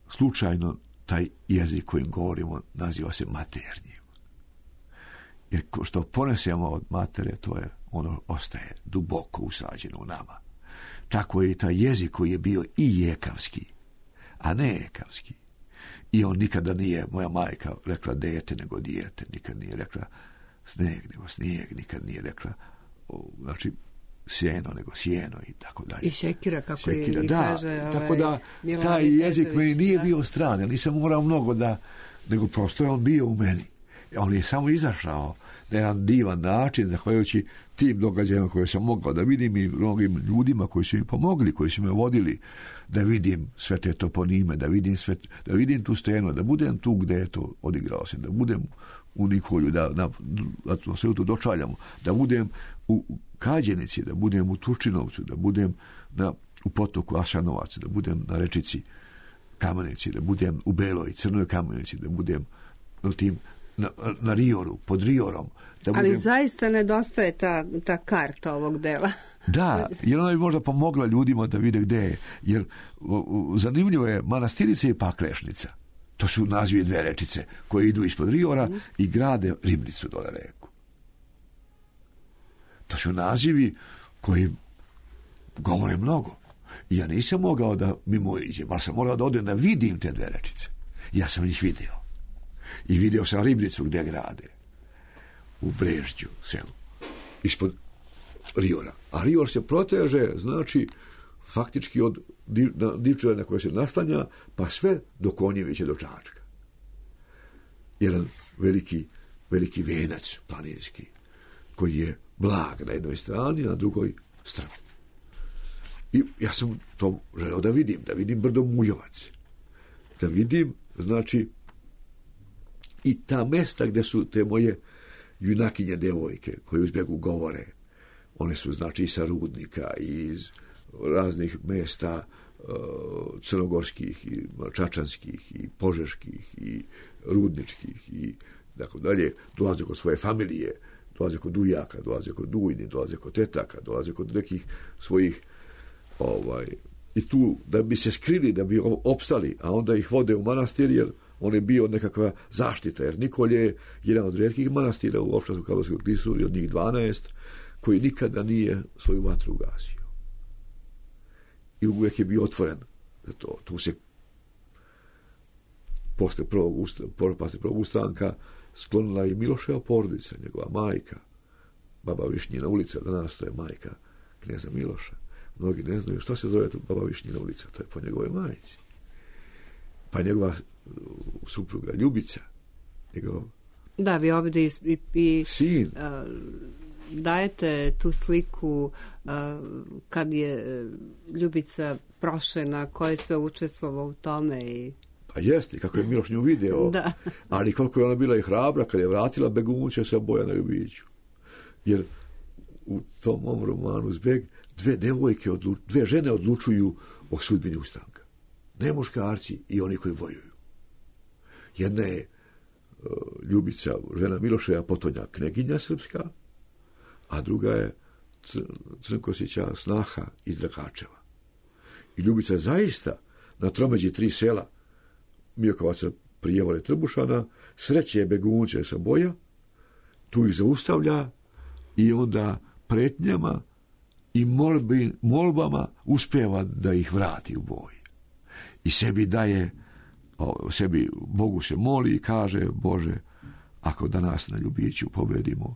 slučajno taj jezik kojim govorimo naziva se maternjim. Jer što ponesemo od matere, to je ono ostaje duboko usađeno u nama. Tako je i taj jezik koji je bio i jekavski, a ne ekavski. I on nikada nije, moja majka, rekla dete nego dijete, nikad nije rekla sneg nego snijeg, nikad nije rekla znači sjeno nego sjeno i tako dalje. I šekira, kako šekira, kaže. Tako da taj jezik meni nije bio stran, ja nisam morao mnogo nego prosto je on bio u meni. On je samo izašao na jedan divan način, zahvaljujući tim događajima koje sam mogao da vidim i mnogim ljudima koji su mi pomogli, koji su me vodili da vidim sve te toponime, da vidim tu stenu, da budem tu gde je to odigrao se, da budem u Nikolju, da sve to dočaljamo, da budem u Kađenici, da budem u Turčinovcu, da budem u potoku Asanovac, da budem na rečici Kamenici, da budem u Beloj, Crnoj Kamenici, da budem na Rioru, pod Riorom. Ali zaista nedostaje ta karta ovog dela. Da, jer ona bi možda pomogla ljudima da vide gde je. Jer zanimljivo je Manastirica i Paklešnica. To su nazivi dve rečice koje idu ispod Riora i grade ribnicu dole reku. To su nazivi koji govore mnogo. I ja nisam mogao da mimo iđem, ali sam morao da odem da vidim te dve rečice. Ja sam ih vidio. I vidio sam ribnicu gdje grade. U Brežđu, selu. Ispod Riora. A Rior se proteže, znači, faktički od Divčeva na koje se naslanja, pa sve do Konjevića, do Čačka. Jedan veliki venac planinski, koji je blag na jednoj strani, a na drugoj strani. I ja sam to želeo da vidim brdo Muljovac. Da vidim, znači, i ta mesta gdje su te moje junakinje devojke koje u zbjegu govore, one su znači i sa Rudnika i iz raznih mesta crnogorskih i čačanskih i požeških i rudničkih i tako dalje, dolaze kod svoje familije, dolaze kod ujaka, dolaze kod ujni, dolaze kod tetaka, dolaze kod nekih svojih i tu da bi se skrili, da bi opstali, a onda ih vode u manastir, jer on je bio nekakva zaštita, jer Nikolje je jedan od rijetkih manastira u Ovčarskom Karlovskom klisuri, od njih 12, koji nikada nije svoju vatru ugasio. I uvijek je bio otvoren za to. Tu se posle prvog ustanka sklonila i Miloševa porodica, njegova majka, baba Višnjina ulica, danas to je majka kneza Miloša. Mnogi ne znaju što se zove baba Višnjina ulica, to je po njegovoj majci. Pa njegova supruga Ljubica, Da, vi ovdje i sin. Dajete tu sliku kad je Ljubica prošena, ko je sve učestvovao u tome i... Pa jeste, kako je Miloš nju video. Da. Ali koliko je ona bila i hrabra kad je vratila begunče sa Bojana Ljubiću. Jer u tom mom romanu Zbeg dve žene odlučuju o sudbini ustanka. Ne muškarci i oni koji vojuju. Jedna je Ljubica, žena Miloševa potonja kneginja srpska, a druga je Crnkosića snaha iz Drakačeva. I Ljubica je zaista na tromeđi 3 sela Miokovaca prijevale Trbušana, sreće begunče sa boja, tu ih zaustavlja i onda pretnjama i molbama uspijeva da ih vrati u boj. I sebi daje, Bogu se moli i kaže, Bože, ako danas na Ljubiću pobedimo,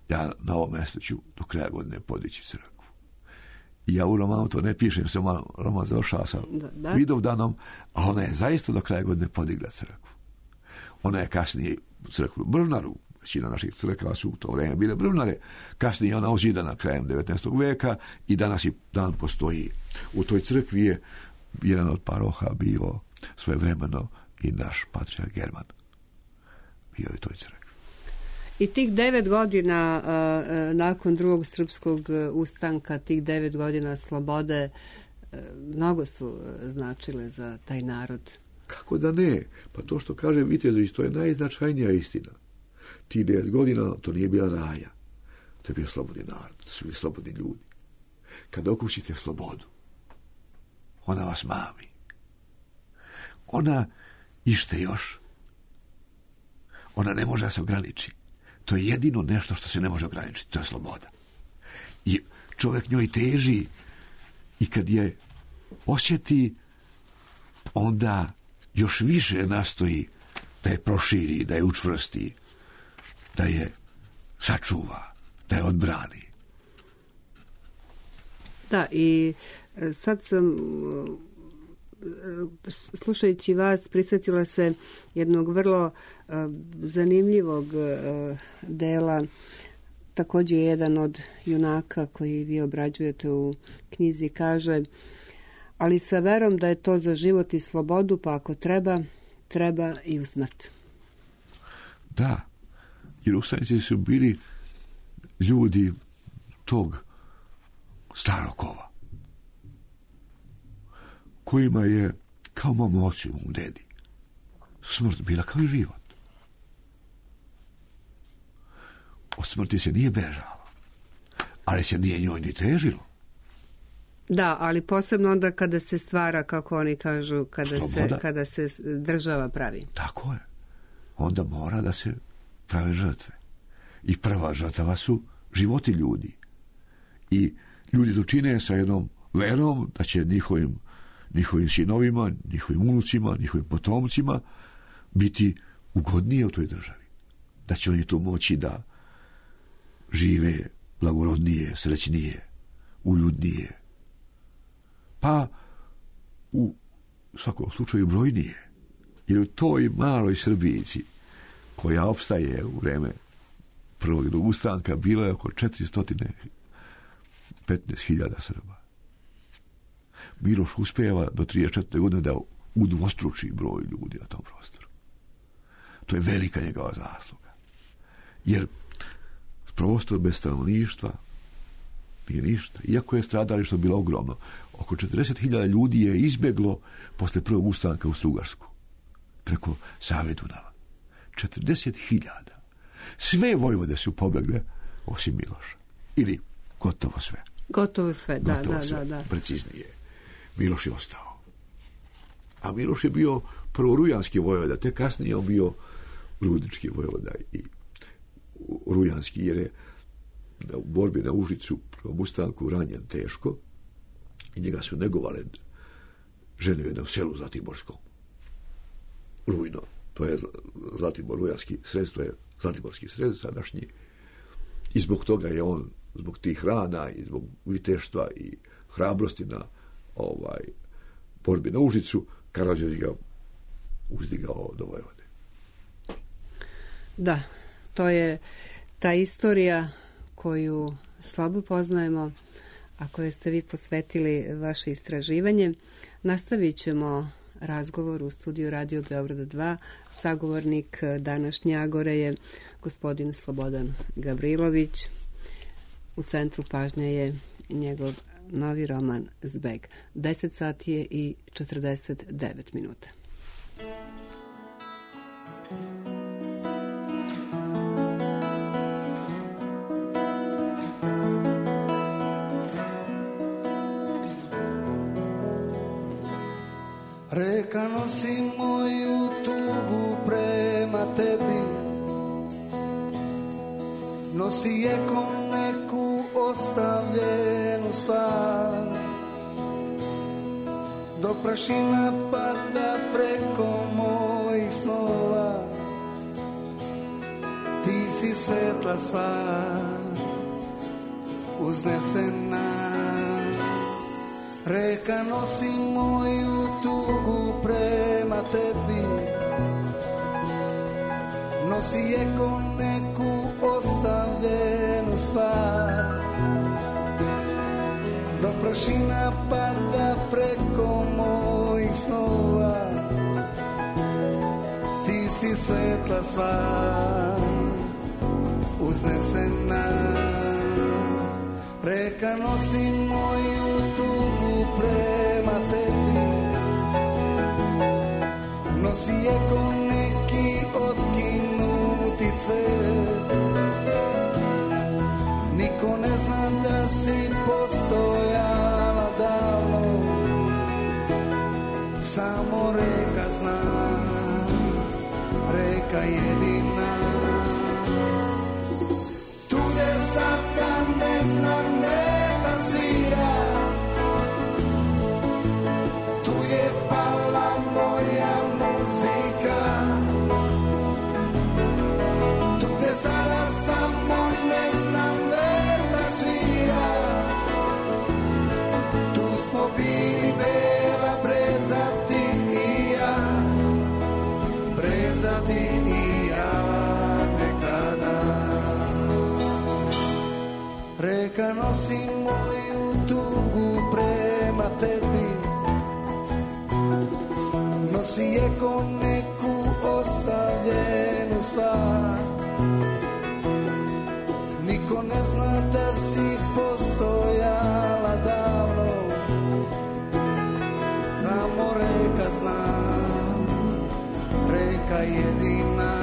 ja na ovom mjestu ću do kraja godine podići crkvu. I ja u romanu to ne pišem, samo roman završava sa Vidovdanom, a ona je zaista do kraja godine podigla crkvu. Ona je kasnije crkvu Brvnaru, većina naših crkava su u to vrijeme bile brvnare, kasnije ona ozidana krajem 19. veka i danas i dan postoji. U toj crkvi je jedan od paroha bio svojevremeno i naš patrijarh German. Bio je u toj crkvi. I tih 9 godina nakon drugog srpskog ustanka, tih 9 godina slobode, mnogo su značile za taj narod. Kako da ne? Pa to što kaže Vitezović, to je najznačajnija istina. Ti 9 godina, to nije bila raja. To je bio slobodni narod, to su bili slobodni ljudi. Kad okušite slobodu, ona vas mami. Ona ište još. Ona ne može da se ograniči. To je jedino nešto što se ne može ograničiti, to je sloboda. I čovjek njoj teži i kad je osjeti, onda još više nastoji da je proširi, da je učvrsti, da je sačuva, da je odbrani. Da, i sad sam, slušajući vas, prisjetila se jednog vrlo zanimljivog dela, također jedan od junaka koji vi obrađujete u knjizi, kaže: ali sa verom da je to za život i slobodu, pa ako treba, treba i u smrt. Da, jer ustanici su bili ljudi tog starog kova, kojima je, kao mom ocu, mom dedi, smrt bila kao i život. Od smrti se nije bežalo, ali se nije njoj ni težilo. Da, ali posebno onda kada se stvara, kako oni kažu, kada se država pravi. Tako je. Onda mora da se prave žrtve. I prva žrtva su životi ljudi. I ljudi to čine sa jednom verom da će njihovim sinovima, njihovim unucima, njihovim potomcima biti ugodnije u toj državi. Da će oni to moći da žive blagorodnije, srećnije, uljudnije. Pa u svakom slučaju brojnije. Jer u toj maloj Srbijici, koja opstaje u vreme prvog i drugog ustanka, bilo je oko 415.000 Srba. Miloš uspijeva do 34. godine da udvostruči broj ljudi na tom prostoru. To je velika njegova zasluga. Jer prostor bez stanovništva nije ništa. Iako je stradalište bilo ogromno, oko 40.000 ljudi je izbjeglo posle prvog ustanka u Strugarsku, preko Save Dunava. 40.000. Sve vojvode su pobjegle, osim Miloša. Ili gotovo sve. Gotovo sve, da. Preciznije. Miloš je ostao. A Miloš je bio prvo rujanski vojvoda, te kasnije on bio rudnički vojvoda i rujanski, jer je u borbi na Užicu prvom ustanku ranjen teško i njega su negovale žene u jednom selu Zlatiborskom. Rujno, to je Zlatibor, rujanski sred, to je Zlatiborski sred sadašnji. I zbog toga je on, zbog tih rana i zbog viteštva i hrabrosti na borbi na Užicu, Karađorđe ga uzdigao do vojvode. Da, to je ta istorija koju slabo poznajemo, a koje ste vi posvetili vaše istraživanje. Nastavit ćemo razgovor u studiju Radio Beograda 2. Sagovornik današnje Agore je gospodin Slobodan Gavrilović. U centru pažnje je njegov novi roman Zbeg. 10 sati je i 49 minuta. Reka nosi moju tugu prema tebi, nosi je ko neku ostavljenu stvar, dok prašina pada preko mojih snova, ti si svetla sva, uznesena. Reka nosi moju tugu prema tebi, nosi je ko neku ostavljenu stvar, dok prašina pada preko mojih snova, ti si svetla sva, uznesena. Reka nosi moju tugu prema tebi, nosi je ko neki otkinuti cvet, niko ne zna da si postojala davno, samo reka zna, reka jedina. Tu je sad kad ne znam vetar svira, tu je pala moja muzika, tu gde sada samo ne znam vetar svira, tu smo bili bela breza ti i ja, breza ti i ja nekada. Reka nosi moju tugu prema tebi, nosi je ko neku ostavljenu stvar, niko ne zna da si postojala davno, samo reka zna, reka jedina.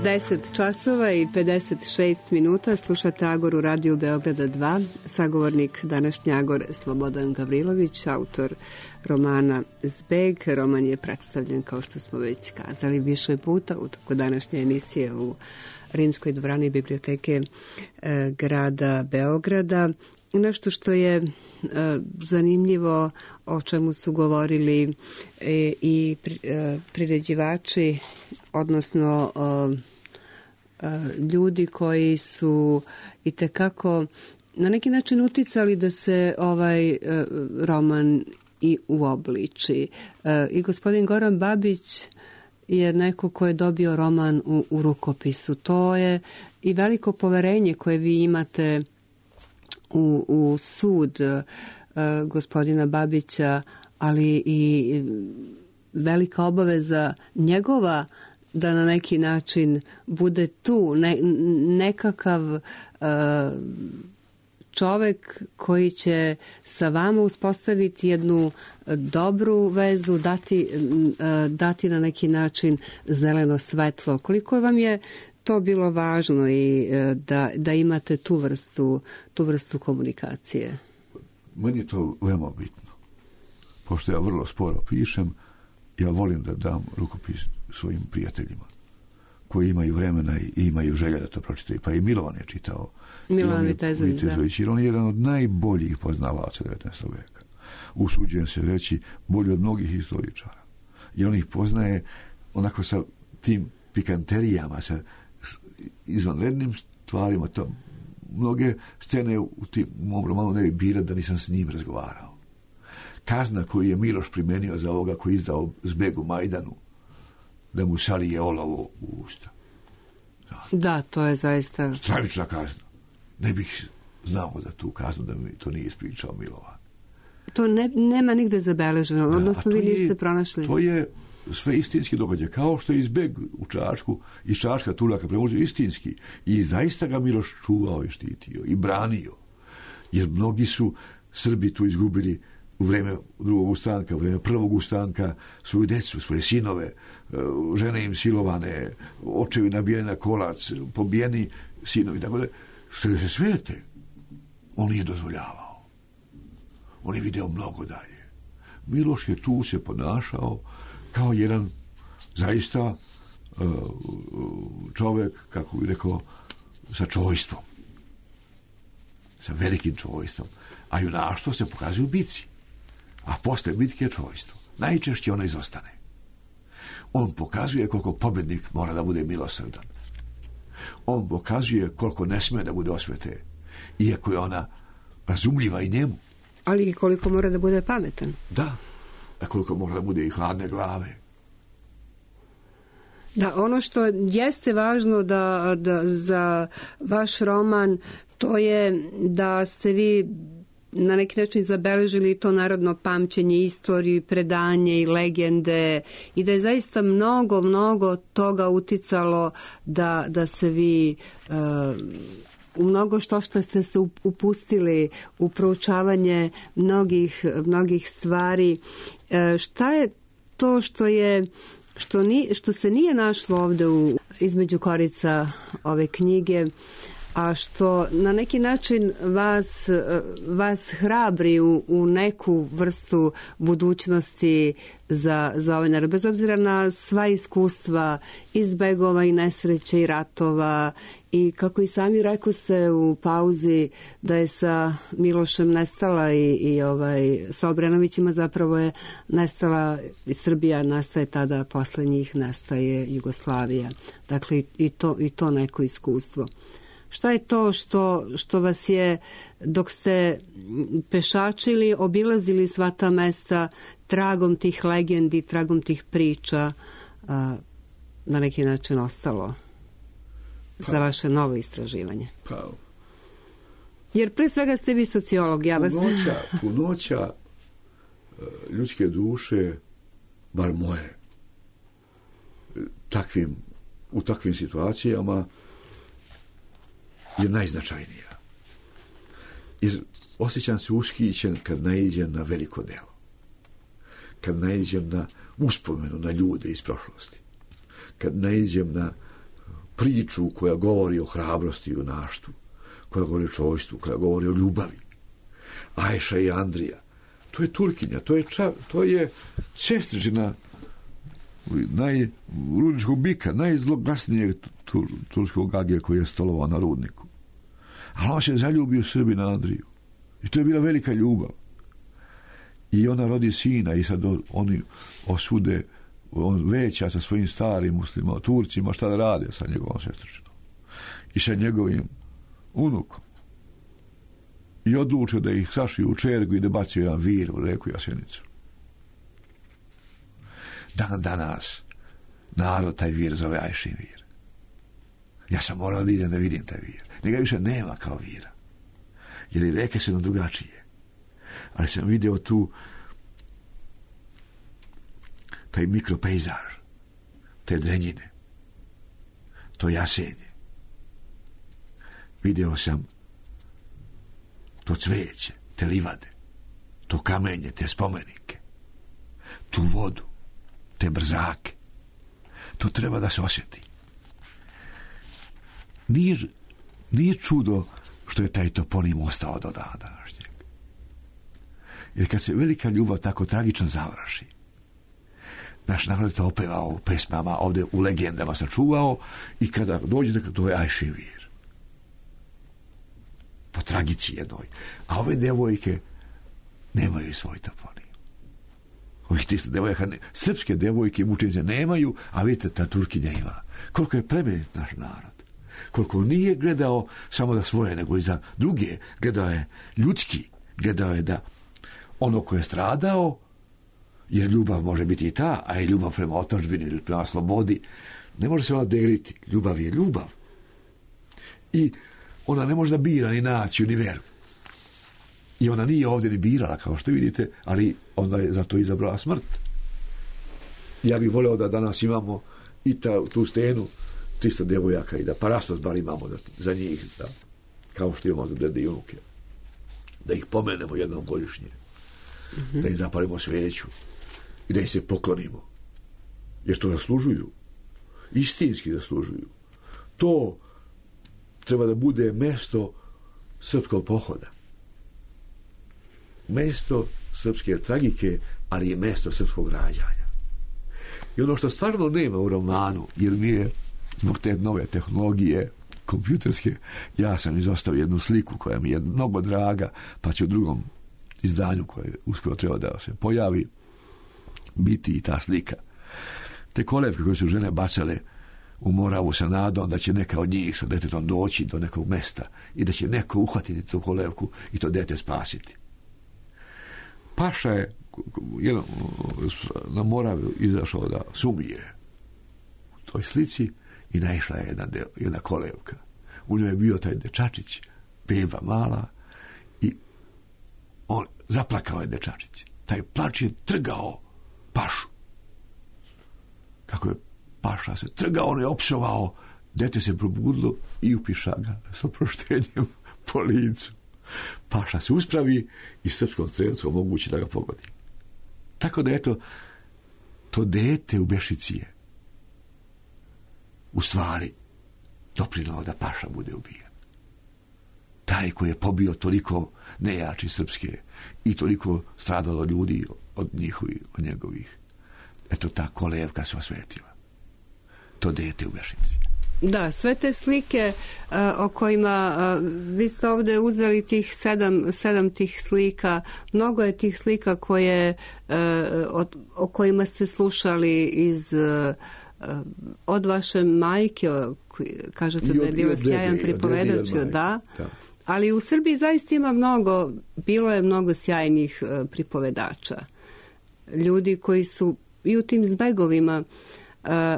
10 časova i 56 minuta slušate Agoru Radio Beograda 2. Sagovornik današnji Agor Slobodan Gavrilović, autor romana Zbeg. Roman je predstavljen, kao što smo već kazali, više puta u toku današnje emisije u Rimskoj dvorani biblioteke grada Beograda. Nešto što je zanimljivo, o čemu su govorili i priređivači, odnosno ljudi koji su itekako na neki način uticali da se ovaj roman i uobliči. I gospodin Goran Babić je neko ko je dobio roman u rukopisu. To je i veliko poverenje koje vi imate u sud gospodina Babića, ali i velika obaveza njegova da na neki način bude tu nekakav čovek koji će sa vama uspostaviti jednu dobru vezu, dati na neki način zeleno svetlo. Koliko vam je to bilo važno i da imate tu vrstu komunikacije? Meni je to veoma bitno. Pošto ja vrlo sporo pišem, ja volim da dam rukopis svojim prijateljima koji imaju vremena i imaju želja da to pročitaju. Pa i Milovan je čitao. Milovan Vitezović, jer on je jedan od najboljih poznavaca 19. veka. Usuđujem se reći, bolji od mnogih historičara. I on ih poznaje onako sa tim pikanterijama, sa izvanrednim stvarima. To, mnoge scene u mom romanu ne bi bile da nisam s njim razgovarao. Kazna koju je Miloš primenio za ovoga koji je izdao Zbeg u Majdanu, da mu salije olovo u usta. Da, to je zaista stravična kazna. Ne bih znao za tu kaznu da mi to nije ispričao Milovan. To nema nigde zabeleženo, odnosno vi niste pronašli. To je sve istinski događaj, kao što je Zbeg u Čačku, iz Čačka Turaka prevođe istinski. I zaista ga Miloš čuvao i štitio i branio. Jer mnogi su Srbi tu izgubili u vreme drugog ustanka, u vreme prvog ustanka, svoju decu, svoje sinove, žene im silovane, očevi nabijeni na kolac, pobijeni sinovi, tako da što se svete, on nije dozvoljavao. On je video mnogo dalje. Miloš je tu se ponašao kao jedan zaista čovjek, kako bih rekao, sa čojstvom. Sa velikim čojstvom. A junaštvo se pokazuje u bitci. A posle bitke je čojstvo. Najčešće ono izostane. On pokazuje koliko pobjednik mora da bude milosrdan. On pokazuje koliko ne smije da bude osvete, iako je ona razumljiva i njemu. Ali i koliko mora da bude pametan. Da, a koliko mora da bude i hladne glave. Da, ono što jeste važno da za vaš roman, to je da ste vi na neki način zabeležili to narodno pamćenje, istoriju, predanje i legende i da je zaista mnogo toga uticalo da se vi u mnogo što ste se upustili u proučavanje mnogih stvari. Šta je to što se nije našlo ovde između korica ove knjige, a što na neki način vas hrabri u neku vrstu budućnosti za ovaj narod, bez obzira na sva iskustva iz begova i nesreće i ratova, i kako i sami rekoste u pauzi da je sa Milošem nestala i sa Obrenovićima zapravo je nestala i Srbija, nastaje tada, posle njih nastaje Jugoslavija. Dakle i to neko iskustvo. Šta je to što vas je, dok ste pešačili, obilazili sva ta mesta, tragom tih legendi, tragom tih priča, na neki način ostalo za vaše novo istraživanje? Jer pre svega ste vi sociolog, ja vas... Punoća ljudske duše, bar moje, u takvim situacijama je najznačajnija. Jer osjećam se ushićen kad naiđem na veliko delo. Kad naiđem na uspomenu na ljude iz prošlosti. Kad naiđem na priču koja govori o hrabrosti i junaštvu, koja govori o čojstvu, koja govori o ljubavi. Ajša i Andrija, to je Turkinja, to je sestričina rudničkog bika, najzloglasnijeg turskog agija koji je stolovao na rudniku. Ali on se zaljubio Srbina Andriju. I to je bila velika ljubav. I ona rodi sina i sad oni osude, on veća sa svojim starim muslimima, Turcima, šta da rade sa njegovom sestričinom. I sa njegovim unukom. I odlučio da ih sašiju u čergu i da bacio jedan vir u reku Jasenicu. Dan danas narod taj vir zove Ajšin vir. Ja sam morao da idem da vidim taj vir. Njega više nema kao vira. Jer i reke su nam drugačije. Ali sam vidio tu taj mikropejzaž, te drenjine, to jasenje. Vidio sam to cveće, te livade, to kamenje, te spomenike, tu vodu, te brzake. To treba da se osjeti. Nije čudo što je taj toponim ostao do dana današnjeg. Jer kad se velika ljubav tako tragično završi, naš narod to opevao u pesmama, ovdje u legendama sačuvao, i kada dođete, to je Ajšin vir. Po tragici jednoj. A ove devojke nemaju svoj toponim. Ovih 300 devojaka, srpske devojke i mučenice nemaju, a vidite, ta Turkinja ima. Koliko je plemenit naš narod. Koliko nije gledao samo za svoje, nego i za druge. Gledao je ljudski. Gledao je da ono koje je stradao, jer ljubav može biti i ta, a i ljubav prema otadžbini ili prema slobodi, ne može se ona deliti. Ljubav je ljubav. I ona ne može da bira ni naciju, ni veru. I ona nije ovdje ni birala, kao što vidite, ali onda je zato izabrala smrt. Ja bih voleo da danas imamo i tu stenu 300 devojaka i da parastos bar imamo za njih, da, kao što imamo za dede i unuke. Da ih pomenemo jednom godišnje. Mm-hmm. Da im zapalimo sveću i da im se poklonimo. Jer to zaslužuju. Istinski zaslužuju. To treba da bude mesto srpskog pohoda. Mesto srpske tragike, ali je mesto srpskog rađanja. I ono što stvarno nema u romanu, jer mi je zbog te nove tehnologije kompjuterske, ja sam izostavio jednu sliku koja mi je mnogo draga, pa će u drugom izdanju koje uskoro treba da se pojavi biti i ta slika. Te kolevke koje su žene bacale u Moravu sa nadom da će neka od njih sa detetom doći do nekog mesta i da će neko uhvatiti tu kolevku i to dete spasiti. Paša je na Moravu izašao da sumije u toj slici i naišla je jedna kolevka. U njoj je bio taj dečačić, beba mala, i on zaplakao je dečačić. Taj plač je trgao Pašu. Kako je Paša se trgao, on je opsovao, dete se probudilo i upiša ga s oproštenjem po licu. Paša se uspravi i srpskom strelcu omogući da ga pogodi. Tako da eto, to dete u Bešici je u stvari doprinao da Paša bude ubijen. Taj koji je pobio toliko nejači srpske i toliko stradalo ljudi od njegovih. Eto, ta kolevka se osvetila. To dete u Bešici. Da, sve te slike o kojima vi ste ovdje uzeli tih sedam tih slika, mnogo je tih slika koje o kojima ste slušali od vaše majke, kažete da je bila sjajan pripovedač, da. Ali u Srbiji zaista bilo je mnogo sjajnih pripovedača. Ljudi koji su i u tim zbegovima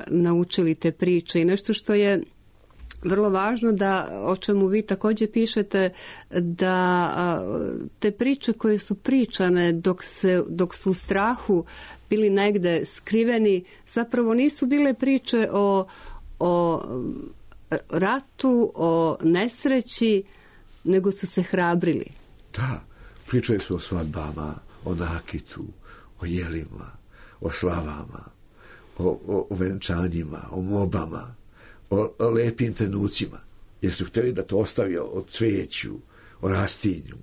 naučili te priče i nešto što je vrlo važno, da o čemu vi također pišete, da te priče koje su pričane dok su u strahu bili negde skriveni, zapravo nisu bile priče o ratu, o nesreći, nego su se hrabrili. Da, pričaju su o svadbama, o nakitu, o jelima, o slavama, o venčanjima, o mobama, o lepim trenucima, jer su htjeli da to ostavi o cveću, o rastinju,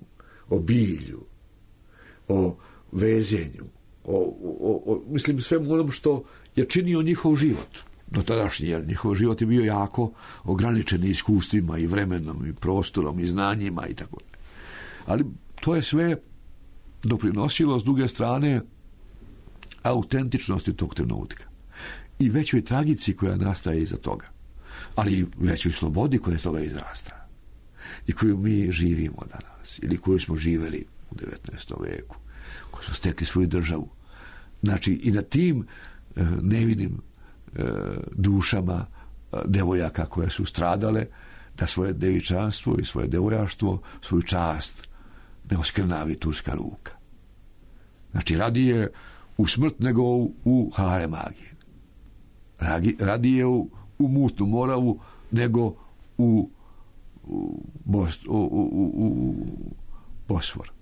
o bilju, o vezenju, mislim svemu onom što je činio njihov život do tadašnji, jer njihov život je bio jako ograničen iskustvima i vremenom i prostorom i znanjima i tako. Ali to je sve doprinosilo s druge strane autentičnosti tog trenutka i većoj tragici koja nastaje iza toga, ali i većoj slobodi koja iz toga izrasta i koju mi živimo danas ili koju smo živeli u 19. veku, koji su stekli svoju državu. Znači i na tim nevinim dušama devojaka koje su stradale, da svoje devičanstvo i svoje devojaštvo, svoju čast ne oskrnavi turska ruka. Znači radije u smrt nego u hare magije. Radije u mutnu Moravu nego u Bosfor.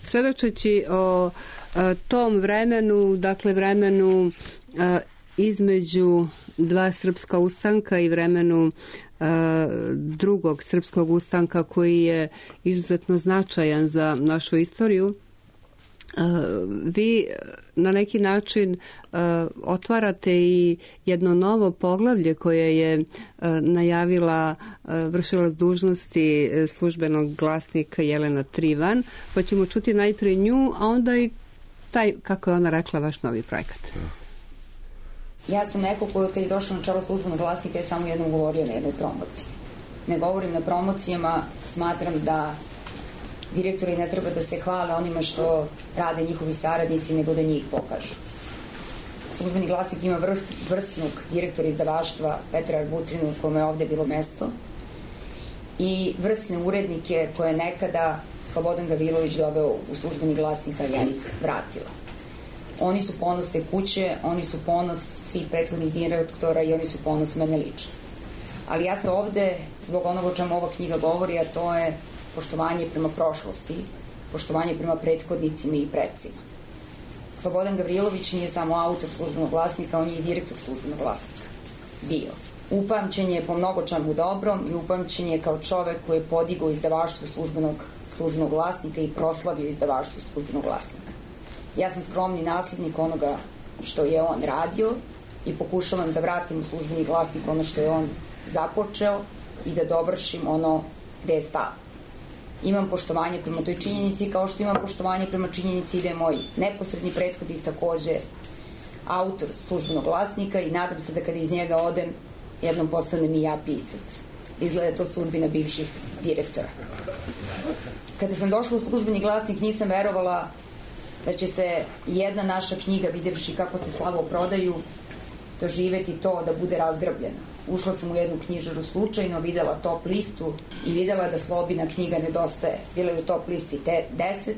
Svedočeći o tom vremenu, dakle vremenu između dva srpska ustanka i vremenu drugog srpskog ustanka koji je izuzetno značajan za našu istoriju, vi na neki način otvarate i jedno novo poglavlje koje je najavila vršilac dužnosti službenog glasnika Jelena Trivan, pa ćemo čuti najprije nju, a onda i taj, kako je ona rekla, vaš novi projekat. Ja sam neko koji kad je došao na čelo službenog glasnika je samo jednom govorio na jednoj promociji. Ne govorim na promocijama, smatram da direktori ne treba da se hvale onima što rade njihovi saradnici, nego da njih pokažu. Službeni glasnik ima vrsnog direktora izdavaštva Petra Arbutrinu, kome je ovde bilo mesto, i vrsne urednike koje je nekada Slobodan Gavrilović doveo u službeni glasnik, a ja ih vratila. Oni su ponos te kuće, oni su ponos svih prethodnih direktora i oni su ponos mene lično. Ali ja se ovde, zbog onoga o čemu ova knjiga govori, a to je poštovanje prema prošlosti, poštovanje prema prethodnicima i predsima. Slobodan Gavrilović nije samo autor službenog glasnika, on je i direktor službenog glasnika. Bio. Upamćen je po mnogo čemu dobrom i upamćen je kao čovek koji je podigao izdavaštvo službenog glasnika i proslavio izdavaštvo službenog glasnika. Ja sam skromni naslednik onoga što je on radio i pokušavam da vratim u službeni glasnik ono što je on započeo i da dovršim ono gde je stao. Imam poštovanje prema toj činjenici, kao što imam poštovanje prema činjenici da je moj neposredni prethodnik takođe autor službenog glasnika i nadam se da kada iz njega odem, jednom postanem i ja pisac. Izgleda to sudbina bivših direktora. Kada sam došla u službeni glasnik, nisam verovala da će se jedna naša knjiga, videvši kako se slabo prodaju, doživeti to da bude razgrabljena. Ušla sam u jednu knjižaru slučajno, videla top listu i videla da Slobina knjiga nedostaje. Bila je u top listi 10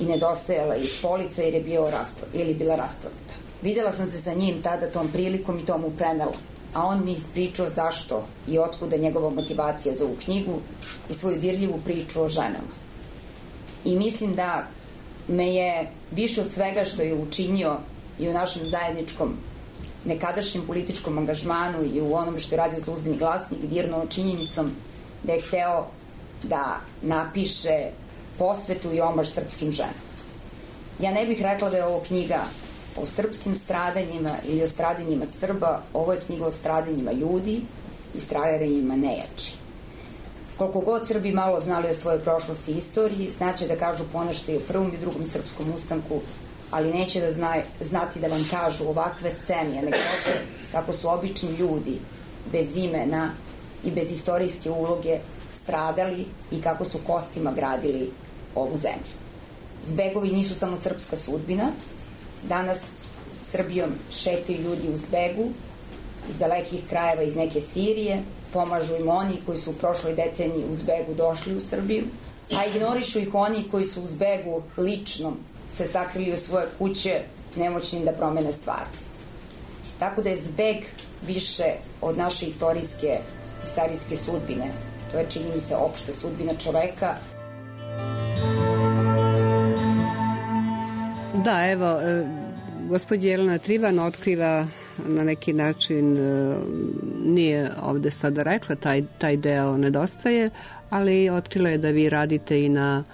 i nedostajala iz polica jer je bila rasprodata. Videla sam se sa njim tada tom prilikom i to mu prenela. A on mi ispričao zašto i otkuda njegova motivacija za ovu knjigu i svoju dirljivu priču o ženama. I mislim da me je više od svega što je učinio i u našem zajedničkom nekadašnjem političkom angažmanu i u onome što je radio službeni glasnik dirnuo činjenicom da je hteo da napiše posvetu i omaž srpskim ženama. Ja ne bih rekla da je ovo knjiga o srpskim stradanjima ili o stradanjima Srba, ovo je knjiga o stradanjima ljudi i stradanjima nejači. Koliko god Srbi malo znali o svojoj prošlosti i istoriji, znaće da kažu ponešto i o prvom i drugom srpskom ustanku, ali neće da znati da vam kažu ovakve scene, anegdote, kako su obični ljudi bez imena i bez istorijske uloge stradali i kako su kostima gradili ovu zemlju. Zbegovi nisu samo srpska sudbina. Danas Srbijom šetaju ljudi u zbegu iz dalekih krajeva, iz neke Sirije, pomažu im oni koji su u prošloj deceniji u zbegu došli u Srbiju, a ignorišu ih oni koji su u zbegu ličnom se sakrili u svoje kuće, nemoćnim da promene stvarnost. Tako da je zbeg više od naše istorijske sudbine. To je, čini mi se, opšta sudbina čoveka. Da, evo, gospođa Jelena Trivan otkriva na neki način nije ovde sada rekla, taj deo nedostaje, ali otkrila je da vi radite i na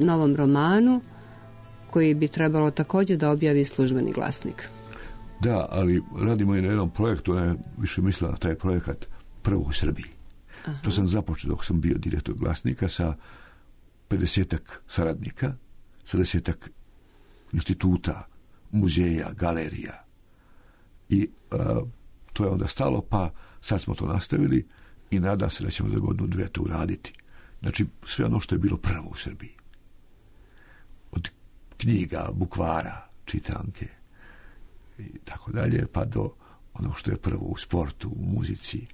novom romanu koji bi trebalo također da objavi Službeni glasnik. Da, ali radimo i na jednom projektu, ona je više mislila na taj projekat prvo u Srbiji. Aha. To sam započeo dok sam bio direktor Glasnika sa 50-ak saradnika, sa 10-ak instituta, muzeja, galerija. I to je onda stalo, pa sad smo to nastavili i nadam se da ćemo za godinu dve to uraditi. Znači, sve ono što je bilo prvo u Srbiji. Od knjiga, bukvara, čitanke i tako dalje, pa do ono što je prvo u sportu, u muzici,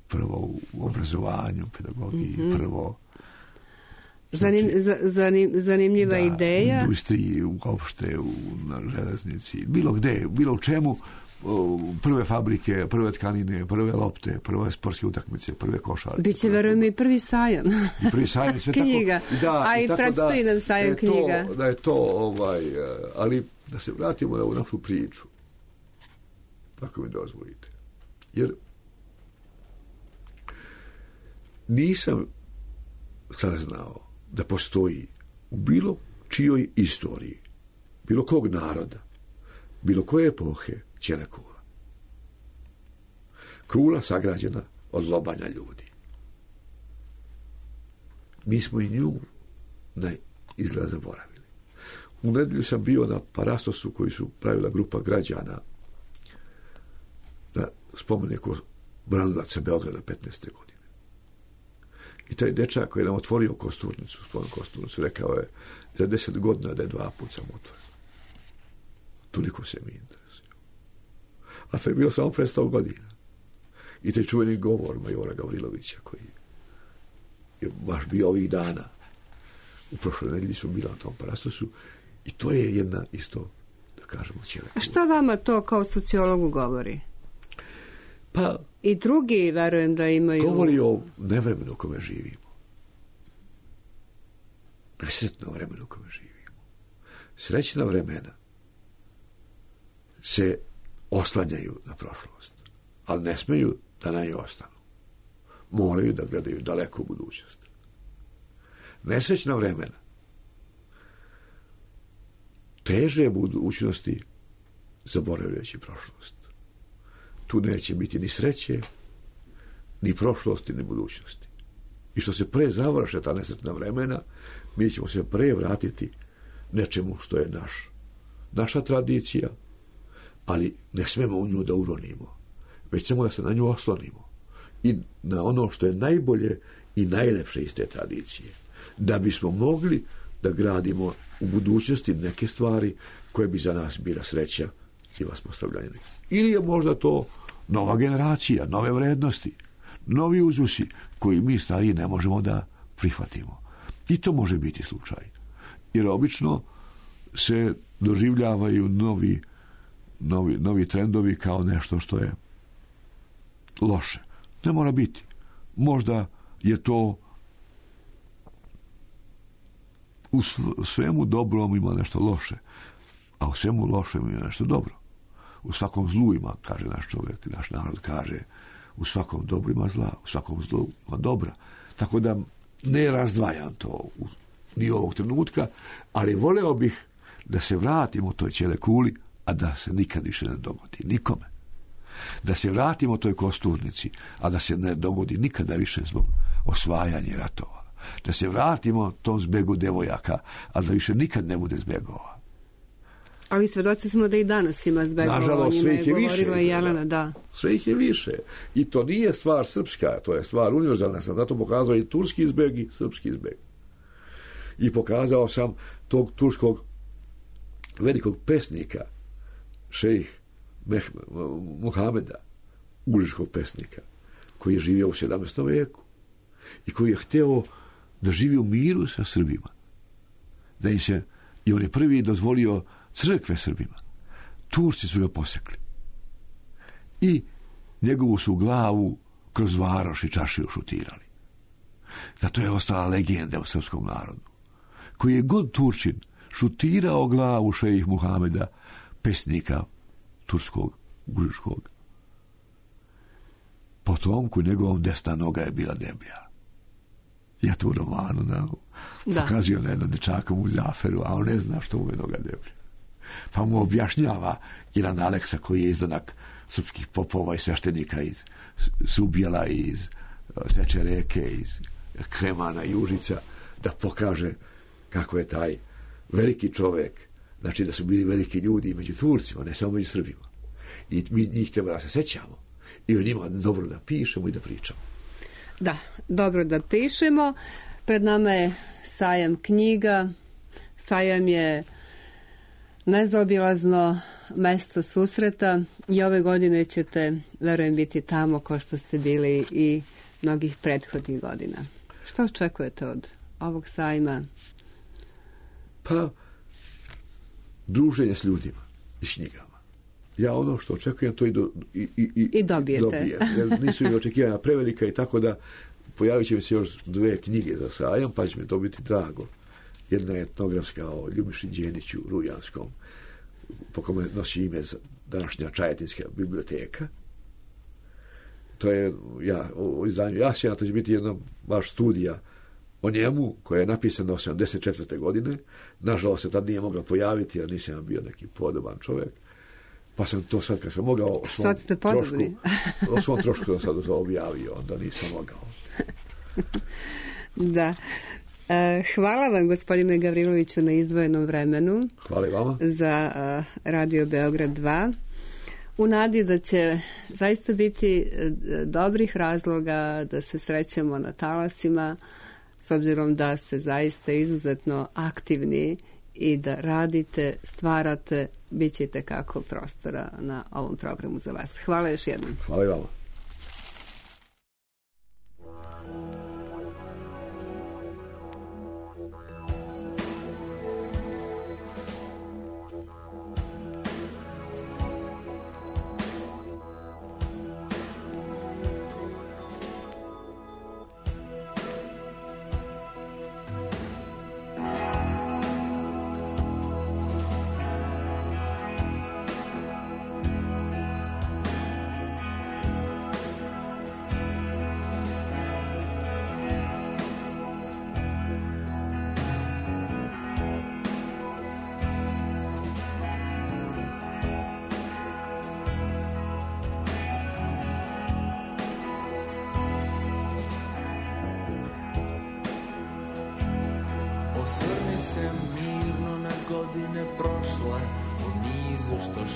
prvo u obrazovanju, pedagogiji, prvo... Zanimljiva ideja. U industriji, uopšte, na železnici, bilo gde, bilo u čemu, prve fabrike, prve tkanine, prve lopte, prve sportske utakmice, prve košarke. Biće, verujem, i prvi sajam. I prvi sajam, sve knjiga. Tako. A i predstoji nam sajam knjiga. Da je to, ali da se vratimo na ovu našu priču. Ako mi dozvolite. Jer nisam saznao da postoji u bilo čijoj istoriji, bilo kog naroda, bilo koje epohe ćele kula. Kula sagrađena od lobanja ljudi. Mi smo i nju na izgled zaboravili. U nedelju sam bio na parastosu koji su pravila grupa građana na spomeniku branilaca Beograda 15. godine. I taj dečak koji je nam otvorio kosturnicu, spomen kosturnicu, rekao je za 10 godina da je 2 puta sam otvoren. Toliko se mi interesuje. A to je bilo samo pre 100 godina. I taj čuveni govor majora Gavrilovića koji je baš bio ovih dana. U prošloj nedelji smo bili na tom parastosu i to je jedna isto, da kažemo, ćele. A šta vama to kao sociologu govori? Pa, i drugi, verujem da imaju... Govori o nevremenu u kome živimo. Nesretno vremenu u kome živimo. Srećna vremena se oslanjaju na prošlost, ali ne smeju da na njoj ostanu. Moraju da gledaju daleko u budućnost. Nesrećna vremena teže budućnosti zaboravljajući prošlost. Tu neće biti ni sreće, ni prošlosti, ni budućnosti. I što se pre završe ta nesretna vremena, mi ćemo se pre vratiti nečemu što je naša tradicija, ali ne smemo u nju da uronimo, već samo da se na nju oslonimo i na ono što je najbolje i najlepše iz te tradicije, da bismo mogli da gradimo u budućnosti neke stvari koje bi za nas bila sreća i vaspostavljanje. Ili je možda to nova generacija, nove vrednosti, novi uzusi koji mi stariji ne možemo da prihvatimo. I to može biti slučaj. Jer obično se doživljavaju novi trendovi kao nešto što je loše. Ne mora biti. Možda je to u svemu dobrom ima nešto loše, a u svemu lošem ima nešto dobro. U svakom zlu ima, kaže naš čovjek, naš narod kaže, u svakom dobru ima zla, u svakom zlu ima dobra. Tako da ne razdvajam to ni ovog trenutka, ali voleo bih da se vratimo toj ćele kuli, a da se nikad više ne dogodi nikome. Da se vratimo toj kosturnici, a da se ne dogodi nikada više zbog osvajanja ratova. Da se vratimo tom zbegu devojaka, a da više nikad ne bude zbegova. Ali svedoci smo da i danas ima zbegova. Nažalost, sve ih je više. Jelena, da. Sve ih je više. I to nije stvar srpska, to je stvar univerzalna. Sam zato pokazao i turski zbeg i srpski zbeg. I pokazao sam tog turskog velikog pesnika, šejh Muhameda, uličkog pesnika, koji je živio u 17. veku i koji je hteo da živi u miru sa Srbima. Da im se, i on je prvi dozvolio crkve Srbima. Turci su ga posekli. I njegovu su glavu kroz varoš i čašiju šutirali. Zato je ostala legenda u srpskom narodu. Koji je god Turčin šutirao glavu šejih Muhameda, pesnika turskog, užičkog. Potomku njegovom desna noga je bila deblja. Ja to u romanu pokazio na jednom dečakom u Zaferu, a on ne zna što mu je noga deblja. Pa mu objašnjava jedan Aleksa koji je izdanak srpskih popova i sveštenika iz Subjela, iz Seče reke, iz Kremana i Užica, da pokaže kako je taj veliki čovjek, znači da su bili veliki ljudi među Turcima, ne samo među Srbima. I mi njih treba da se sećamo i o njima dobro da pišemo i da pričamo. Da, dobro da pišemo. Pred nama je sajam knjiga. Sajam je nezaobilazno mesto susreta i ove godine ćete, verujem, biti tamo kao što ste bili i mnogih prethodnih godina. Što očekujete od ovog sajma? Pa, druženje s ljudima i s knjigama. Ja ono što očekujem, to i dobijete. Dobijem. Jer nisu mi očekivanja prevelika i tako da pojavit će mi se još 2 knjige za sajam, pa će mi to biti drago. Jedna je etnografska o Ljubiši Đeniću, Rujanskom, po kome nosi ime današnja Čajetinska biblioteka. To je o izdanju Jasina, to će biti jedna baš studija o njemu, koja je napisana 1984. godine. Nažalost se tad nije mogla pojaviti, jer nisam bio neki podoban čovjek. Pa sam to sad, kad sam mogao o svom trošku da sad to objavio, onda nisam mogao. Da. Hvala vam, gospodine Gavriloviću, na izdvojenom vremenu. Hvala i vama. Za Radio Beograd 2. U nadi da će zaista biti dobrih razloga da se srećemo na talasima, s obzirom da ste zaista izuzetno aktivni i da radite, stvarate, bit će itekako prostora na ovom programu za vas. Hvala još jednom. Hvala i vama.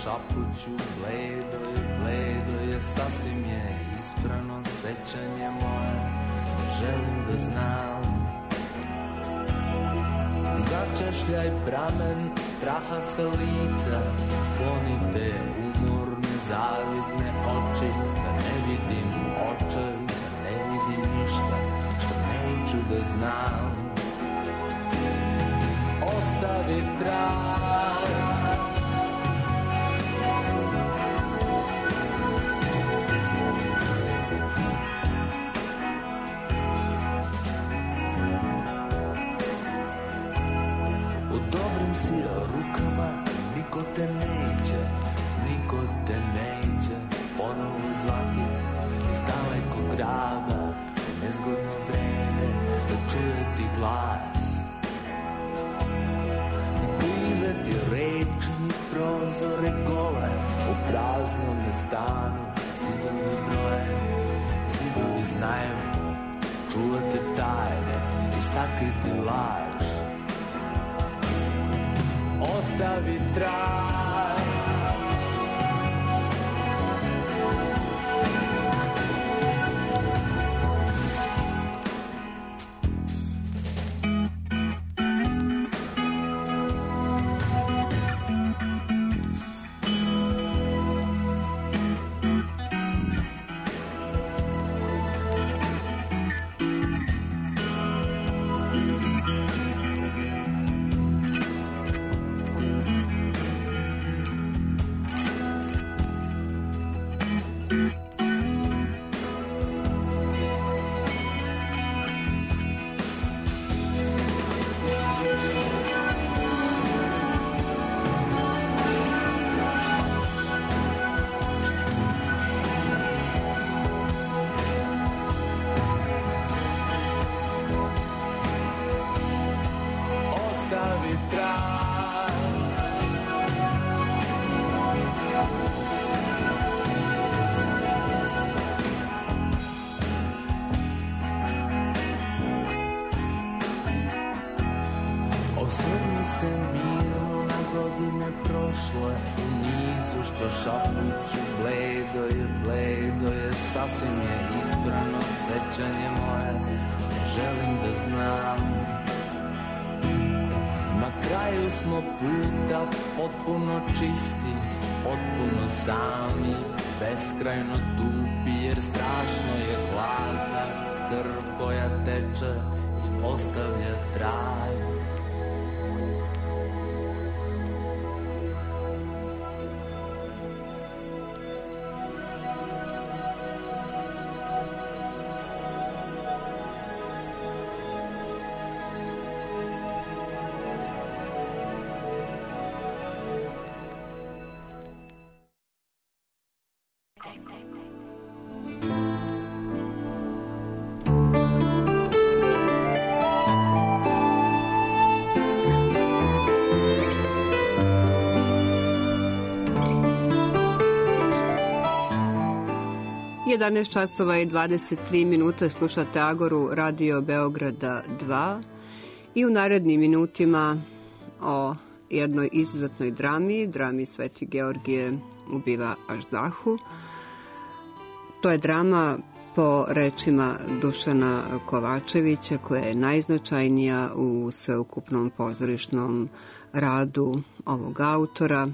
Šapuću, bledo je, sasvim je isprano sećanje moje, želim da znam. Začešljaj pramen straha sa lica, sklonite umorne, zavidne oči, da ne vidim očaj, da ne vidim ništa, što neću da znam. Ostavi trag, rukama, niko te neće ponovo zvati iz dalekog grada, nezgodno vreme da čuje ti glas. Blizati reči niz prozore gole, u praznom stanu zidovi broje, zidovi znaju čuvati tajne i sakriti laž. Ostavi trag, sasvim je isprano sećanje moje, ne želim da znam. Na kraju smo puta potpuno čisti, potpuno sami, beskrajno tupi, jer strašno je hladna krv koja teče i ostavlja trag. Jedanaest časova i 23 minuta, slušate Agoru Radio Beograda 2 i u narednim minutima o jednoj izuzetnoj drami Sveti Georgije ubiva Aždahu. To je drama po rečima Dušana Kovačevića koja je najznačajnija u sveukupnom pozorišnom radu ovog autora.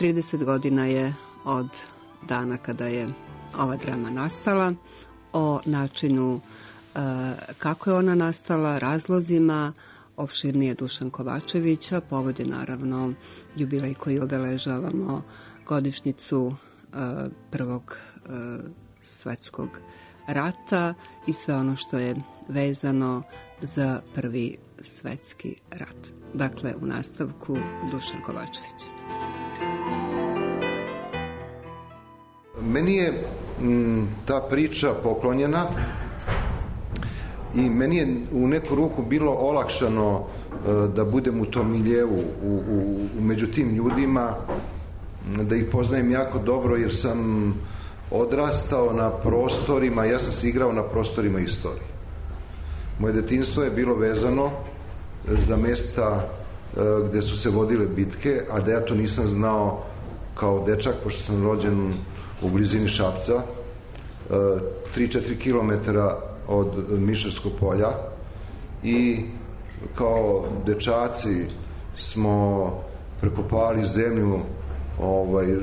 30 godina je od dana kada je ova drama nastala, o načinu kako je ona nastala, razlozima, opširnije Dušan Kovačević, a povod je naravno jubilej koji obeležavamo, godišnjicu Prvog svetskog rata i sve ono što je vezano za Prvi svetski rat. Dakle, u nastavku Dušan Kovačević. Meni je ta priča poklonjena i meni je u neku ruku bilo olakšano da budem u tom miljevu, među tim ljudima, da ih poznajem jako dobro jer sam odrastao na prostorima, ja sam se igrao na prostorima istorije. Moje detinjstvo je bilo vezano za mesta gde su se vodile bitke, a da ja to nisam znao kao dečak, pošto sam rođen u blizini Šapca, 3-4 kilometara od Mišarskog polja, i kao dečaci smo prekopavali zemlju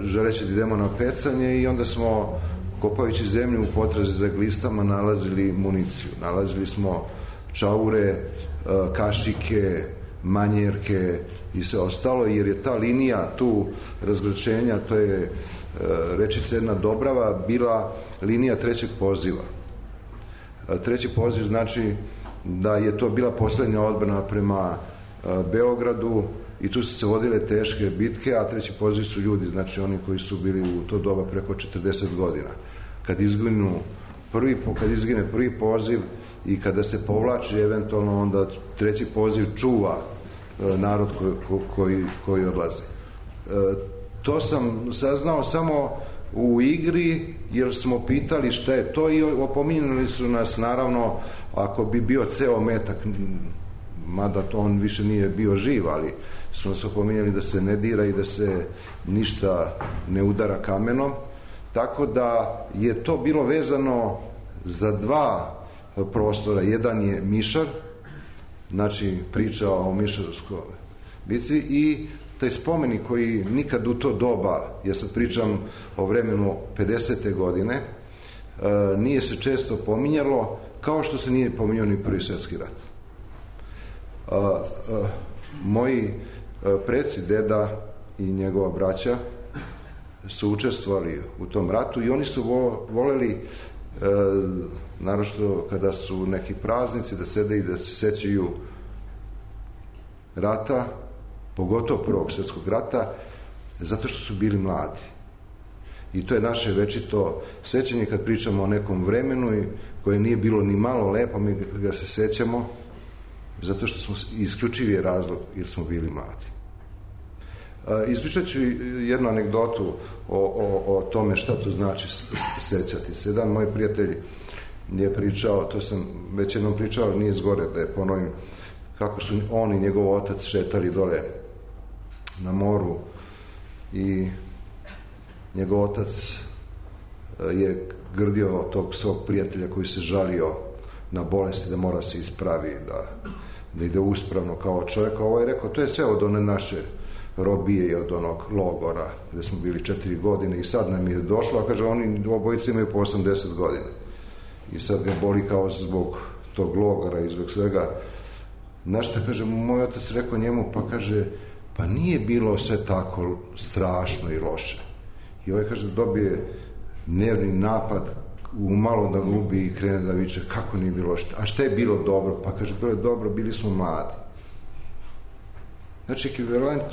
želeći da idemo na pecanje, i onda smo, kopajući zemlju u potrazi za glistama, nalazili municiju. Nalazili smo čaure, kašike, manjerke i sve ostalo, jer je ta linija tu razgračenja, to je rečica jedna Dobrava, bila linija trećeg poziva. Treći poziv znači da je to bila poslednja odbrana prema Beogradu i tu su se vodile teške bitke, a treći poziv su ljudi, znači oni koji su bili u to doba preko 40 godina. Kad izgine prvi poziv i kada se povlači eventualno, onda treći poziv čuva narod koji odlazi. To sam saznao samo u igri, jer smo pitali šta je to, i opominjali su nas, naravno, ako bi bio ceo metak, mada to on više nije bio živ, ali su nas opominjali da se ne dira i da se ništa ne udara kamenom, tako da je to bilo vezano za dva prostora. Jedan je Mišar, znači priča o Mišarskoj bici, i taj spomenik koji nikad u to doba, ja sad pričam o vremenu 50. godine, nije se često pominjalo, kao što se nije pominjao ni Prvi svjetski rat. Moji preci, deda i njegova braća, su učestvovali u tom ratu i oni su voleli, naročito kada su neki praznici, da sede i da se sećaju rata, pogotovo Prvog svjetskog rata, zato što su bili mladi. I to je naše večito sećanje kad pričamo o nekom vremenu koje nije bilo ni malo lepo, mi ga se sećamo zato što smo isključivi razlog jer smo bili mladi. Ispričat ću jednu anegdotu o tome šta to znači sećati se. Jedan moj prijatelj je pričao, to sam već jednom pričao, ali nije zgore da je ponovim, kako su on i njegov otac šetali dole na moru i njegov otac je grdio tog svog prijatelja koji se žalio na bolesti, da mora se ispravi, da ide uspravno kao čovjek. Ovo je rekao, to je sve od one naše robije i od onog logora gdje smo bili 4 godine i sad nam je došlo, a kaže, oni obojice imaju po 80 godina. I sad ga boli kao zbog tog logora i zbog svega. Znaš šta, kaže, moj otac rekao njemu, pa kaže, pa nije bilo sve tako strašno i loše. I ovaj, kaže, dobije nervni napad, umalo da gubi i krene da viče, kako nije bilo loše. A šta je bilo dobro? Pa kaže, bilo je dobro, bili smo mladi. Znači, ekvivalent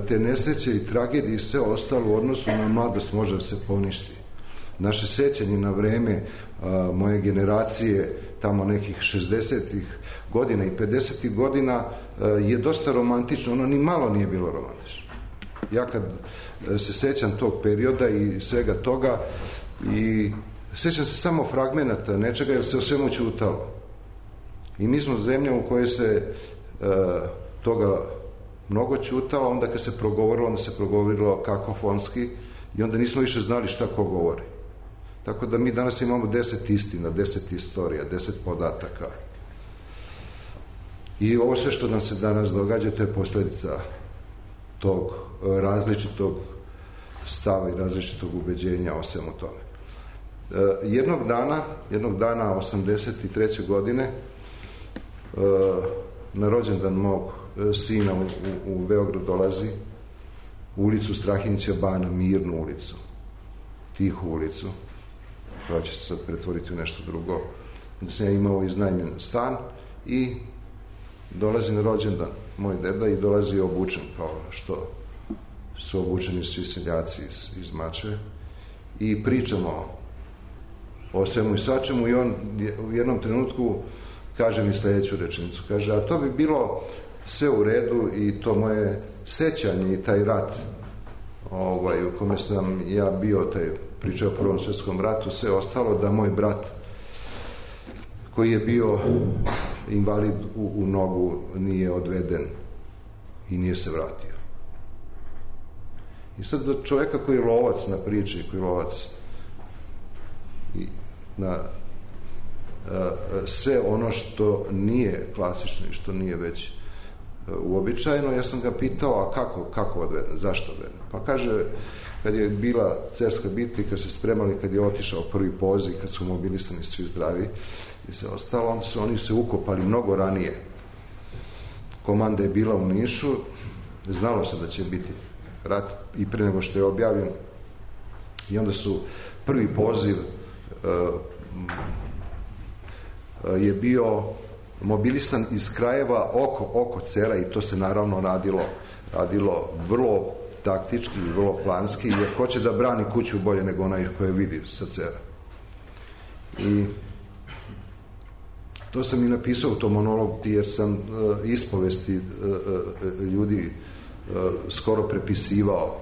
te nesreće i tragedije i sve ostalo u odnosu na mladost može da se poništi. Naše sećanje na vreme moje generacije, tamo nekih 60-ih godina i 50-ih godina, je dosta romantično. Ono ni malo nije bilo romantično. Ja kad se sećam tog perioda i svega toga, i sećam se samo fragmenata nečega, jer se o svemu ćutalo. I mi smo zemlja u kojoj se toga mnogo ćutalo, onda kad se progovorilo, onda se progovorilo kakofonski i onda nismo više znali šta ko govori. Tako da mi danas imamo 10 istina, 10 istorija, 10 podataka. I ovo sve što nam se danas događa, to je posljedica tog različitog stava i različitog ubeđenja o svemu tome. Jednog dana 83. godine, na rođendan mog sina u Beograd dolazi u ulicu Strahinjića Bana, mirnu ulicu, tihu ulicu, koja će se sad pretvoriti u nešto drugo. Da sam ja imao iznajmljen stan i dolazi na rođendan moj deda i dolazi obučen kao što su obučeni svi seljaci iz Mačve i pričamo o svemu i svačemu i on u jednom trenutku kaže mi sljedeću rečenicu. Kaže, a to bi bilo sve u redu i to moje sećanje i taj rat u kome sam ja bio, taj pričao o Prvom svjetskom ratu, sve ostalo da moj brat koji je bio invalid u nogu nije odveden i nije se vratio. I sad do čovjeka koji je lovac na priči, koji je lovac na sve ono što nije klasično i što nije već uobičajeno, ja sam ga pitao, a kako odveden, zašto odveden? Pa kaže, kad je bila Cerska bitka i kad se spremali, kad je otišao prvi poziv, kad su mobilisani svi zdravi i sve ostalo, onda su oni se ukopali mnogo ranije. Komanda je bila u Nišu, znalo se da će biti rat i pre nego što je objavljen, i onda su prvi poziv je bio mobilisan iz krajeva oko Cera i to se naravno radilo vrlo taktički i vrlo planski, jer ko će da brani kuću bolje nego onaj koje vidi sa Cera. I to sam i napisao u tom monologu, jer sam ispovesti ljudi skoro prepisivao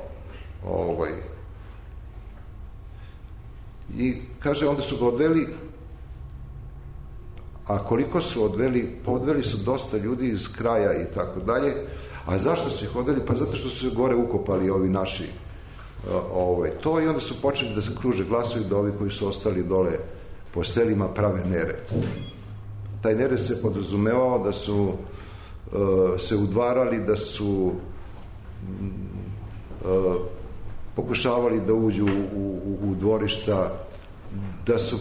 i kaže, onda su ga odveli, a koliko su odveli, pa odveli su dosta ljudi iz kraja i tako dalje. A zašto su ih odveli? Pa zato što su se gore ukopali ovi naši to, i onda su počeli da se kruže glasovi da ovi koji su ostali dole po selima prave nered. Taj nered se podrazumevao da su se udvarali, da su pokušavali da uđu u dvorišta, da su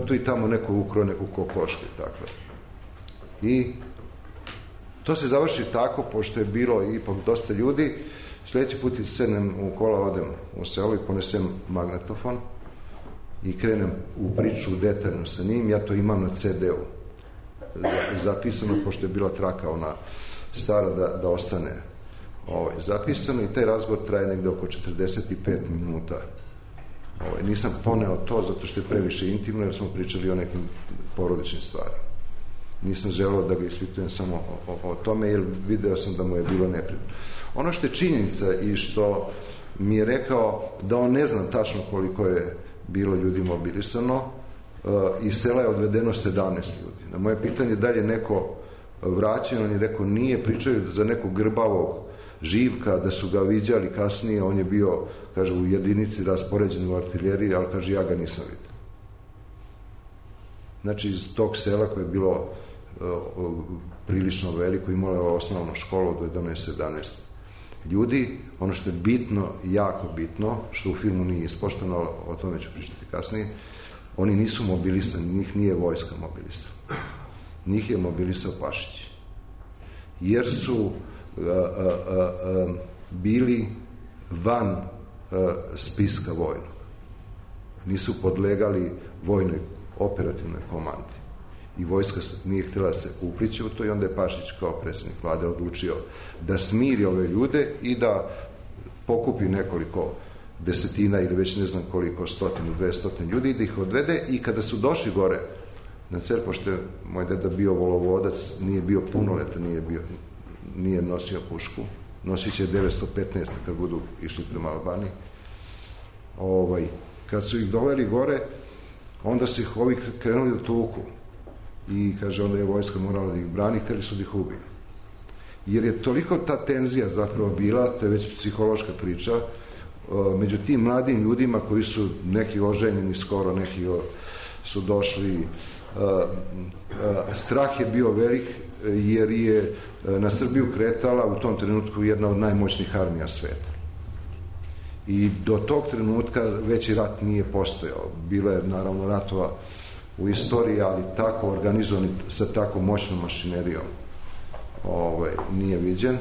tu i tamo neko ukrao neku kokošku i tako. I to se završi tako, pošto je bilo ipak dosta ljudi. Sljedeći put sednem u kola, odem u selo i ponesem magnetofon i krenem u priču detaljno sa njim. Ja to imam na CD-u zapisano, pošto je bila traka ona stara da ostane zapisano, i taj razgovor traje negde oko 45 minuta. Nisam poneo to zato što je previše intimno, jer smo pričali o nekim porodičnim stvarima. Nisam želeo da ga ispitujem samo o tome, jer video sam da mu je bilo neprijatno. Ono što je činjenica i što mi je rekao da on ne zna tačno koliko je bilo ljudi mobilisano, iz sela je odvedeno 17 ljudi. Na moje pitanje da li je neko vraćen, on je rekao nije, pričaju za nekog grbavog Živka, da su ga viđali kasnije, on je bio, kaže, u jedinici raspoređen u artiljeriji, ali kaže, ja ga nisam vidio. znači iz tog sela koje je bilo prilično veliko, imalo je osnovnu školu od 11-17 ljudi. Ono što je bitno, jako bitno, što u filmu nije ispoštovano, o tome ću pričati kasnije, oni nisu mobilisani, njih nije vojska mobilisana. Njih je mobilisao Pašić. Jer su bili van spiska vojnog. Nisu podlegali vojnoj operativnoj komandi. I vojska nije htjela se uplići u to i onda je Pašić kao predsjednik vlade odlučio da smiri ove ljude i da pokupi nekoliko desetina ili već ne znam koliko, 100-200 ljudi i da ih odvede. I kada su došli gore na Cer, pošto je moj deda bio volovodac, nije bio punoletan, nije nosio pušku, nosit će 915 kad budu išli prema Albaniji. Kad su ih doveli gore, onda su ih ovi krenuli da tuku i kaže onda je vojska morala da ih brani, htjeli su da ih ubiju. Jer je toliko ta tenzija zapravo bila, to je već psihološka priča, među tim mladim ljudima koji su neki oženjeni skoro, neki su došli, strah je bio velik jer je na Srbiju kretala u tom trenutku jedna od najmoćnijih armija sveta. I do tog trenutka veći rat nije postojao. Bilo je naravno ratova u istoriji, ali tako organizovan sa tako moćnom mašinerijom nije viđen.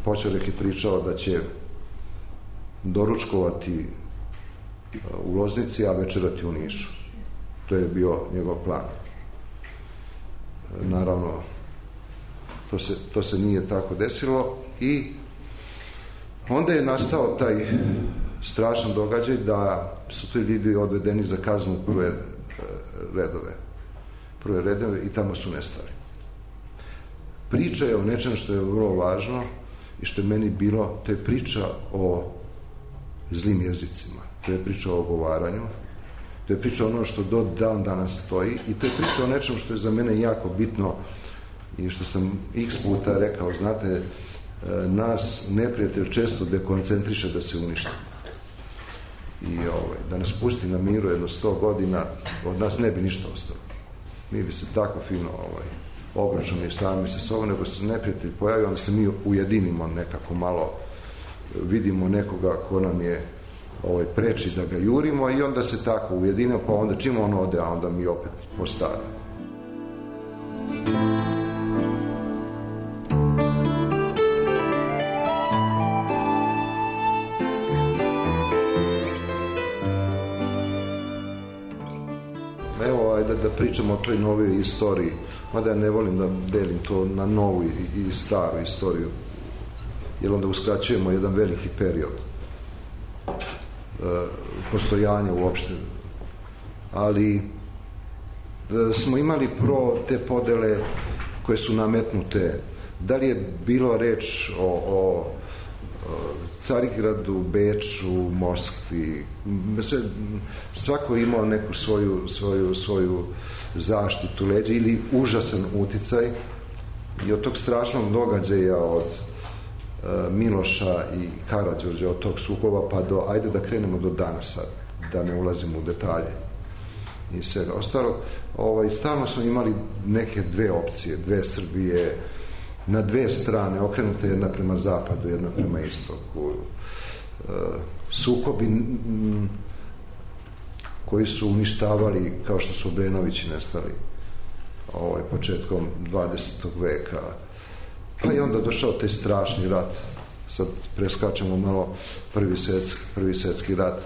Počerek je pričao da će doručkovati u Loznici, a večerati u Nišu. To je bio njegov plan. Naravno, to se nije tako desilo i onda je nastao taj strašan događaj da su ti ljudi odvedeni za kaznu u prve redove i tamo su nestali. Priča je o nečem što je vrlo važno i što je meni bilo, to je priča o zlim jezicima, to je priča o ogovaranju, to je priča ono što do dan danas stoji i to je priča o nečem što je za mene jako bitno i što sam x puta rekao, znate, nas neprijatelj često dekoncentriše da se uništimo. I da nas pusti na miru jedno 100 godina, od nas ne bi ništa ostalo. Mi bi se tako fino obračunali sami sa sobom, nego se neprijatelj pojavi, onda se mi ujedinimo nekako malo, vidimo nekoga ko nam je preči da ga jurimo i onda se tako ujedinimo, pa onda čim on ode, a onda mi opet postavimo. Da pričamo o toj novoj istoriji, mada ja ne volim da delim to na novu i staru istoriju, jer onda uskraćujemo jedan veliki period postojanja uopšte. Ali smo imali te podele koje su nametnute. Da li je bilo reč o Carigradu, Beču, Moskvi, svako je imao neku svoju zaštitu leđa ili užasan uticaj i od tog strašnog događaja od Miloša i Karađorđa, od tog sukoba pa do, ajde da krenemo do danas sad, da ne ulazimo u detalje i svega ostalog. Stalno smo imali neke dve opcije, dve Srbije, na dve strane, okrenute jedna prema zapadu, jedna prema istoku. Sukobi koji su uništavali, kao što su Obrenovići nestali početkom 20. veka. Pa i onda došao taj strašni rat. Sad preskačemo malo prvi svjetski rat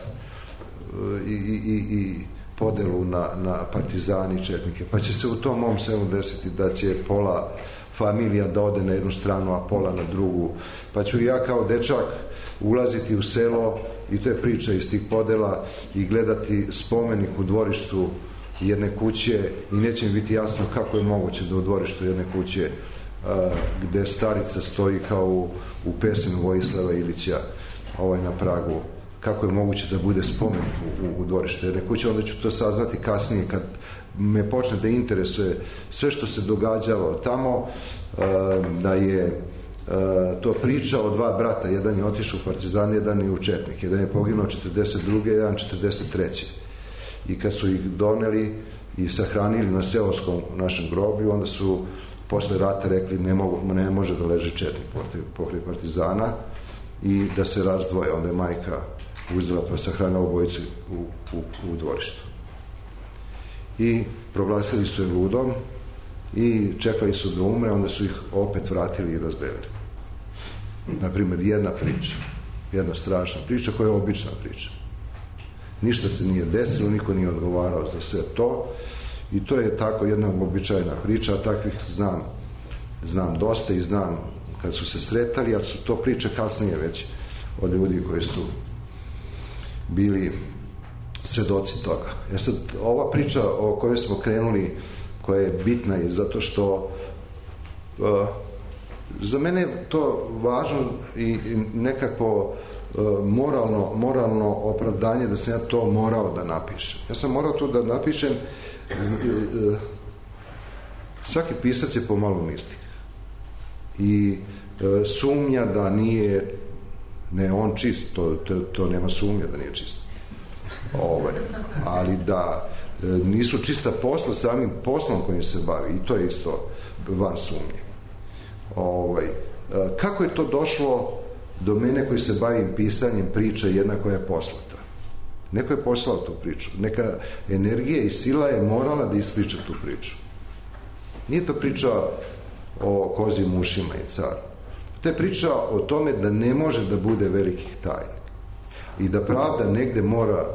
i podelu na partizani i četnike. Pa će se u tom mom selu desiti da će pola familija da ode na jednu stranu, a pola na drugu. Pa ću ja kao dečak ulaziti u selo, i to je priča iz tih podela, i gledati spomenik u dvorištu jedne kuće i neće mi biti jasno kako je moguće da u dvorištu jedne kuće gde starica stoji kao u pesmu Vojislava Ilića na pragu, kako je moguće da bude spomenik u dvorištu jedne kuće. Onda ću to saznati kasnije kad me počne da interesuje sve što se događalo tamo, da je to priča o dva brata, jedan je otišao u partizan, jedan je u četnik, jedan je poginuo 42. jedan 43. i kad su ih doneli i sahranili na seoskom našem groblju, onda su posle rata rekli ne može da leži 4 pokraj partizana i da se razdvoje. Onda je majka uzela pa sahranila obojicu u dvorištu. I proglasili su je ludom i čekali su da umre, onda su ih opet vratili i razdelili. Naprimjer, jedna strašna priča koja je obična priča. Ništa se nije desilo, niko nije odgovarao za sve to i to je tako jedna uobičajena priča, a takvih znam dosta i znam kad su se sretali, ali su to priče kasnije već od ljudi koji su bili svedoci toga. Sad, ova priča o kojoj smo krenuli, koja je bitna je zato što za mene je to važno i nekako moralno opravdanje da sam ja to morao da napišem. Ja sam morao to da napišem. Svaki pisac je pomalo mistik i sumnja da nije on čist, to nema sumnja da nije čist, ali da nisu čista posla samim poslom kojim se bavi, i to je isto van sumnje. Kako je to došlo do mene koji se bavim pisanjem priče jedna koja je poslata? Neko je poslao tu priču, neka energija i sila je morala da ispriča tu priču. Nije to priča o kozim ušima i caru. To je priča o tome da ne može da bude velikih tajni i da pravda negde mora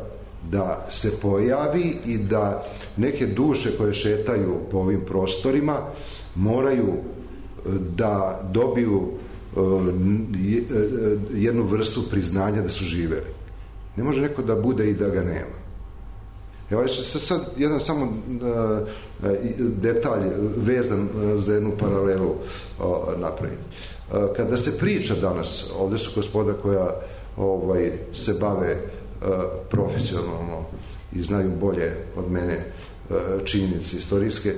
da se pojavi i da neke duše koje šetaju po ovim prostorima moraju da dobiju jednu vrstu priznanja da su živeli. Ne može neko da bude i da ga nema. Evo ću sad jedan samo detalj vezan za jednu paralelu napraviti. Kada se priča danas, ovde su gospoda koja se bave profesionalno i znaju bolje od mene činjenice istorijske,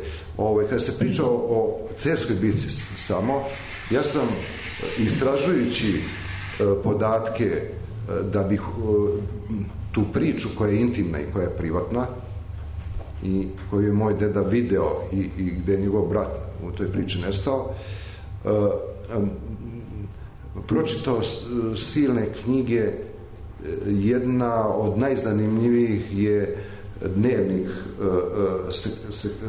kada se priča o Cerskoj bitci samo, ja sam istražujući podatke da bih tu priču koja je intimna i koja je privatna i koju je moj deda video i gde je njegov brat u toj priči nestao, pročitao silne knjige. Jedna od najzanimljivijih je dnevnik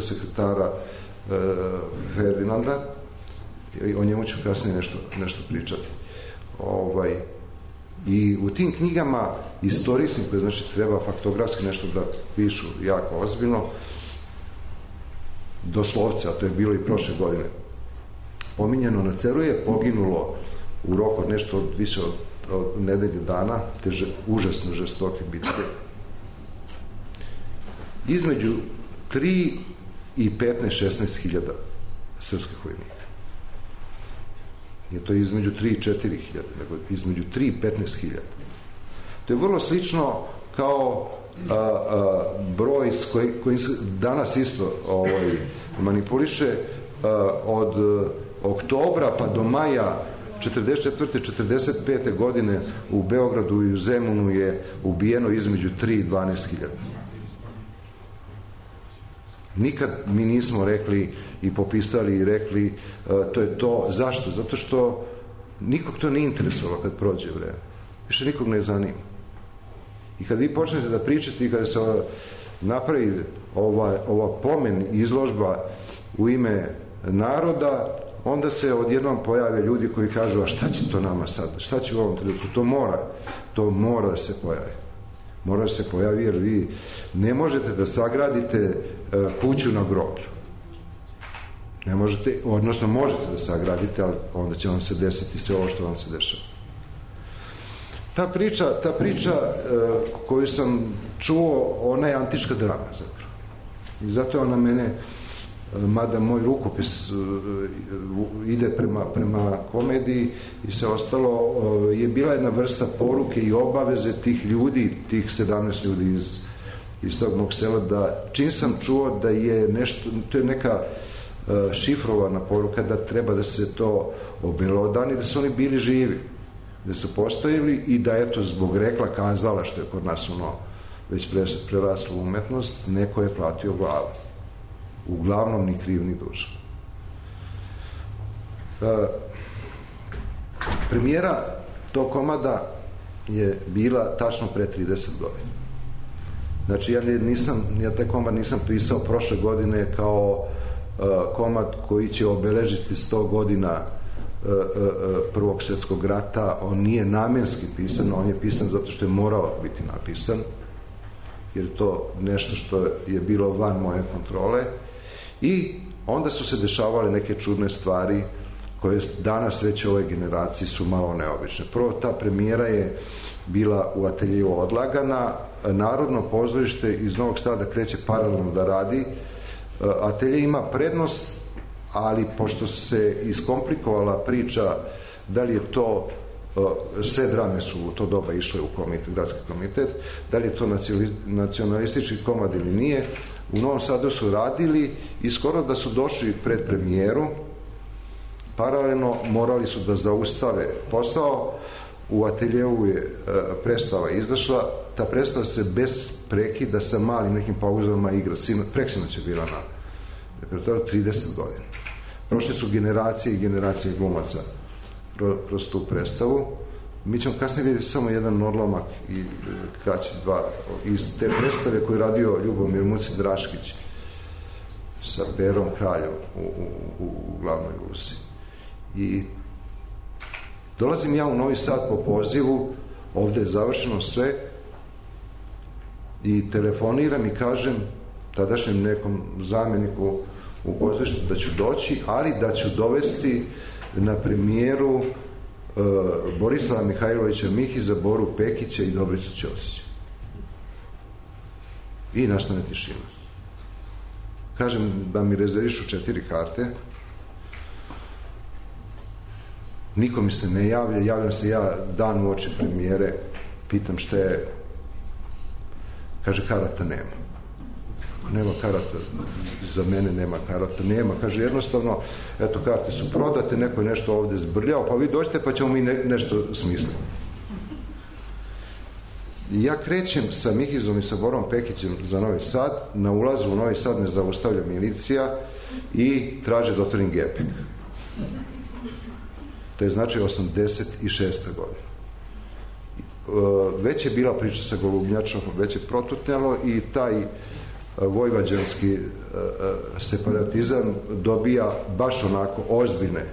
sekretara Ferdinanda, o njemu ću kasnije nešto pričati. I u tim knjigama istorijskim, koje znači treba faktografski nešto da pišu jako ozbiljno, doslovce, a to je bilo i prošle godine, pominjeno na Ceru je poginulo u roku od nešto više od nedelje dana, te užasno žestoke bitke, između 3 i 15-16 hiljada srpskih vojnika. Je to između 3 i 4 hiljada, nego između 3 i 15 hiljada. To je vrlo slično kao broj s kojim se danas isto manipuliše od oktobra pa do maja 44. 45. godine u Beogradu i u Zemunu je ubijeno između 3 i 12 hiljada. Nikad mi nismo rekli i popisali i rekli to je to. Zašto? Zato što nikog to ne interesovalo kad prođe vreme. Više nikog ne zanima. I kad vi počnete da pričate i kada se napravi ova pomen izložba u ime naroda, onda se odjednom pojave ljudi koji kažu a šta će to nama sad? Šta će u ovom trenutku? To mora da se pojavi. Mora da se pojavi jer vi ne možete da sagradite kuću na groblju. Ne možete, odnosno možete da sagradite, ali onda će vam se desiti sve ovo što vam se dešava. Ta priča koju sam čuo, ona je antička drama zapravo. I zato je ona mene, mada moj rukopis ide prema komediji i sve ostalo, je bila jedna vrsta poruke i obaveze tih ljudi, tih 17 ljudi iz tog mog sela, da čim sam čuo da je nešto, to je neka šifrovana poruka da treba da se to obelodani, da su oni bili živi, da su postojili i da eto zbog rekla kazala, što je kod nas već preraslo u umetnost, neko je platio glavu. Uglavnom ni kriv ni dužan. Premijera tog komada je bila tačno pre 30 godina. Znači, ja taj komad nisam pisao prošle godine kao komad koji će obeležiti 100 godina Prvog svjetskog rata. On nije namjenski pisan, on je pisan zato što je morao biti napisan, jer je to nešto što je bilo van moje kontrole. I onda su se dešavale neke čudne stvari koje danas već u ovoj generaciji su malo neobične. Prvo, ta premijera je bila u ateljeju odlagana. Narodno pozorište iz Novog Sada kreće paralelno da radi. Atelje ima prednost, ali pošto se iskomplikovala priča da li je to, sve drame su u to doba išle u komitet, gradski komitet, da li je to nacionalistički komad ili nije, u Novom Sadu su radili i skoro da su došli pred premijeru, paralelno morali su da zaustave posao. U ateljevu je predstava izašla, ta predstava se bez prekida sa malim nekim pauzama igra, preksinoć je bila na repertoaru 30 godina. Prošle su generacije i generacije glumaca kroz tu predstavu. Mi ćemo kasnije vidjeti samo jedan odlomak i kraći dva iz te predstave koju je radio Ljubomir Muci Draškić sa Berom Kraljom u glavnoj ulozi. I dolazim ja u Novi Sad po pozivu, ovde je završeno sve, i telefoniram i kažem tadašnjem nekom zamjeniku u pozorištu da ću doći, ali da ću dovesti na premijeru Borislava Mihajlovića Mihiza, Boru Pekića i Dobricu Ćosića. I nastane tišina. Kažem da mi rezervišu 4 karte. Niko mi se ne javlja, javljam se ja dan uoči premijere, pitam šta je, kaže karata nema. Nema karata, za mene nema karata, nema, kaže jednostavno, eto karte su prodate, neko je nešto ovde zbrljao, pa vi dođete pa ćemo mi nešto smisliti. Ja krećem sa Mihizom i sa Borom Pekićem za Novi Sad, na ulazu u Novi Sad me zaustavlja milicija i traže da otvorim gepek. To je znači 86. godina. Već je bila priča sa Golubnjačom, već je protutnjalo i taj vojvođanski separatizam dobija baš onako ozbiljne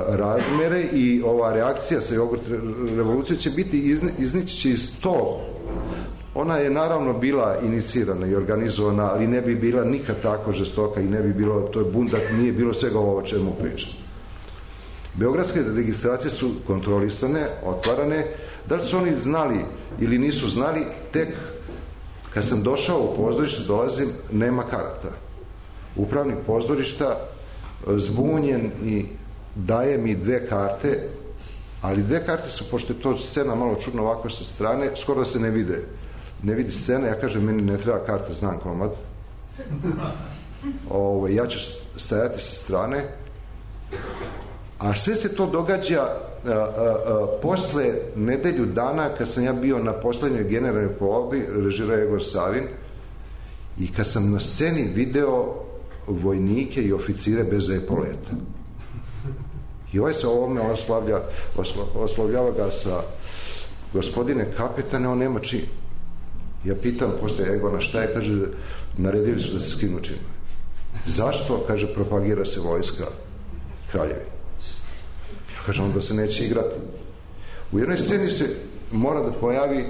razmere i ova reakcija sa jogurt revolucije će biti, iznići će iz to. Ona je naravno bila inicirana i organizovana, ali ne bi bila nikad tako žestoka i ne bi bilo, to je bundak, nije bilo svega ovo o čemu pričam. Beogradske registracije su kontrolisane, otvarane. Da li su oni znali ili nisu znali, tek kad sam došao u pozorište, dolazim, nema karata. Upravnik pozorišta zbunjen i daje mi 2 karte, ali 2 karte su, pošto je to scena malo čudno ovako sa strane, skoro da se ne vide. Ne vidi scena, ja kažem, meni ne treba karta, znam komad. Ja ću stajati sa strane. A sve se to događa posle nedelju dana kad sam ja bio na poslednjoj generalnoj probi, režirao Egor Savin, i kad sam na sceni video vojnike i oficire bez epoleta. I ovaj se ovome oslovljava ga sa gospodine kapetane, on nema čin. Ja pitam posle Egona šta je, kaže, naredili su da se skinu čin. Zašto? Kaže, propagira se vojska kraljevine. Kaže, onda se neće igrati. U jednoj sceni se mora da pojavi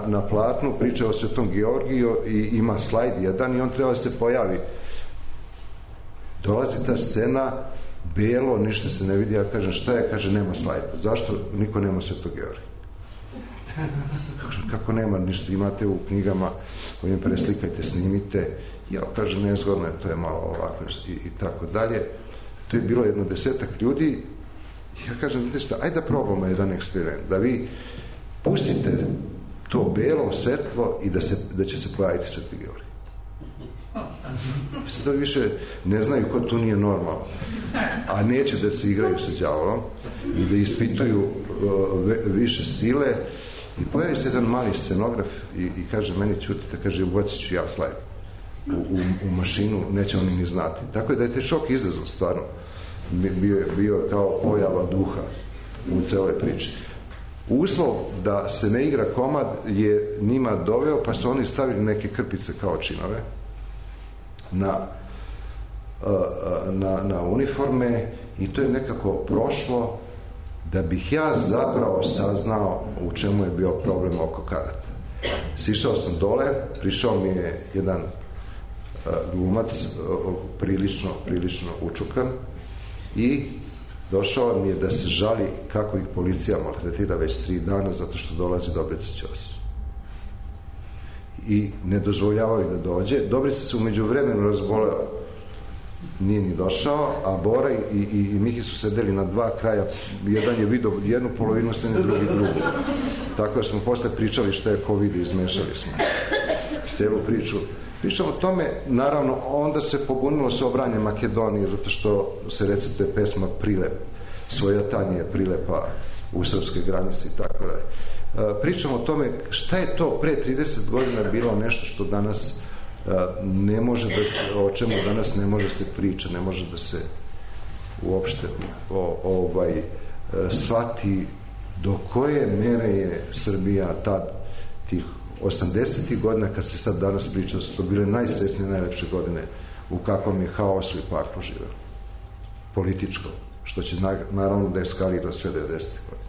na platnu priča o Svetom Georgiju i ima slajd jedan i on treba da se pojavi. Dolazi ta scena, belo, ništa se ne vidi, ja kažem šta je, kaže nema slajda. Zašto niko nema Svetog Georgija? Kako nema ništa, imate u knjigama, ovim preslikajte, snimite. Ja kažem nezgodno je, to je malo ovako i tako dalje. To je bilo 10-ak ljudi. Ja kažem, znate šta, ajde da probamo jedan eksperiment, da vi pustite to belo svetlo i da će se pojaviti Sveti Georgij. Sad više ne znaju ko tu nije normalno, a neće da se igraju sa đavolom i da ispituju više sile. I pojavi se jedan mali scenograf i kaže meni, čutite, kaže, ubacit ću ja slajd u mašinu, neće oni ni znati. Tako je da je taj šok izazov stvarno bio kao pojava duha u celoj priči. Uslov da se ne igra komad je njima doveo, pa su oni stavili neke krpice kao činove na uniforme i to je nekako prošlo da bih ja zapravo saznao u čemu je bio problem oko karata. Sišao sam dole, prišao mi je jedan glumac prilično učukan i došao mi je da se žali kako ih policija maltretira već 3 dana zato što dolazi Dobrica Ćos. I ne dozvoljavaju da dođe. Dobrica se umeđu vremenu razboleo, nije ni došao, a Bora i Mihi su sedeli na 2 kraja. Jedan je vidio jednu polovinu scene, drugi drugu. Tako da smo posle pričali šta je COVID i izmešali smo celu priču. Pričamo o tome, naravno, onda se pobunilo se obranje Makedonije, zato što se receptuje pesma Prilep, svojatanje prilepa u srpske granice i tako dalje. Pričamo o tome šta je to pre 30 godina bilo nešto što danas ne može da, o čemu danas ne može se priča, ne može da se uopšte shvati do koje mere je Srbija tad tih 80. godina, kad se sad danas priča, su to bile najsrećnije, najlepše godine u kakvom je haosu i paklu živeo. Političko, što će naravno da eskalira sve 90. godine.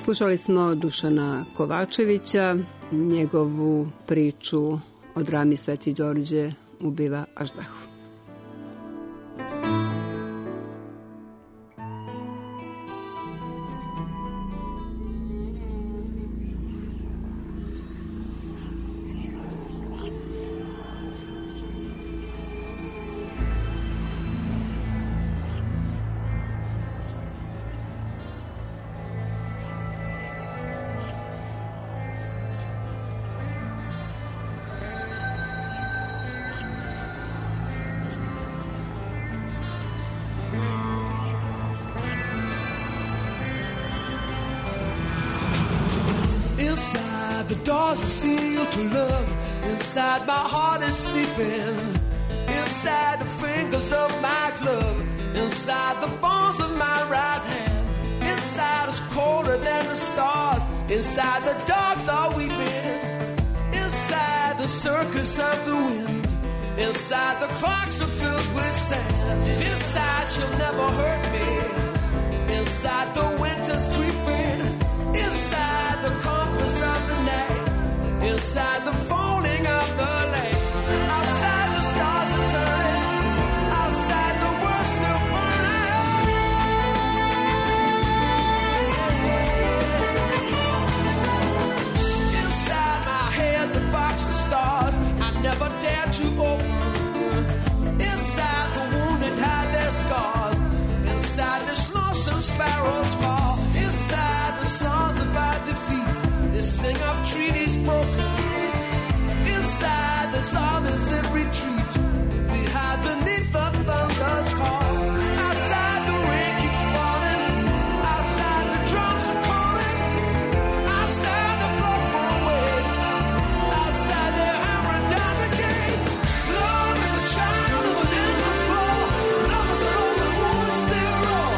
Slušali smo Dušana Kovačevića, njegovu priču o drami Sveti Đorđe ubiva Aždahu. Inside the doors are sealed to love. Inside my heart is sleeping. Inside the fingers of my glove. Inside the bones of my right hand. Inside it's colder than the stars. Inside the dogs are weeping. Inside the circus of the wind. Inside the clocks are filled with sand. Inside you'll never hurt me. Inside the winter's creeping. Inside the compass of the night. Inside the folding of the lake. Outside the stars are turning. Outside the world's still burning. Inside my head's a box of stars I never dared to open. Inside the wounded hide their scars. Inside this lonesome sparrow's fall. Inside the songs about defeat, they sing of treaties broken. Inside there's armies in retreat. We hide beneath the thunder's call. Outside the rain keeps falling. Outside the drums are calling. Outside the floor won't wait. Outside they're hammering down the gate. Love is a child of an endless flow. Love is an open wound still raw.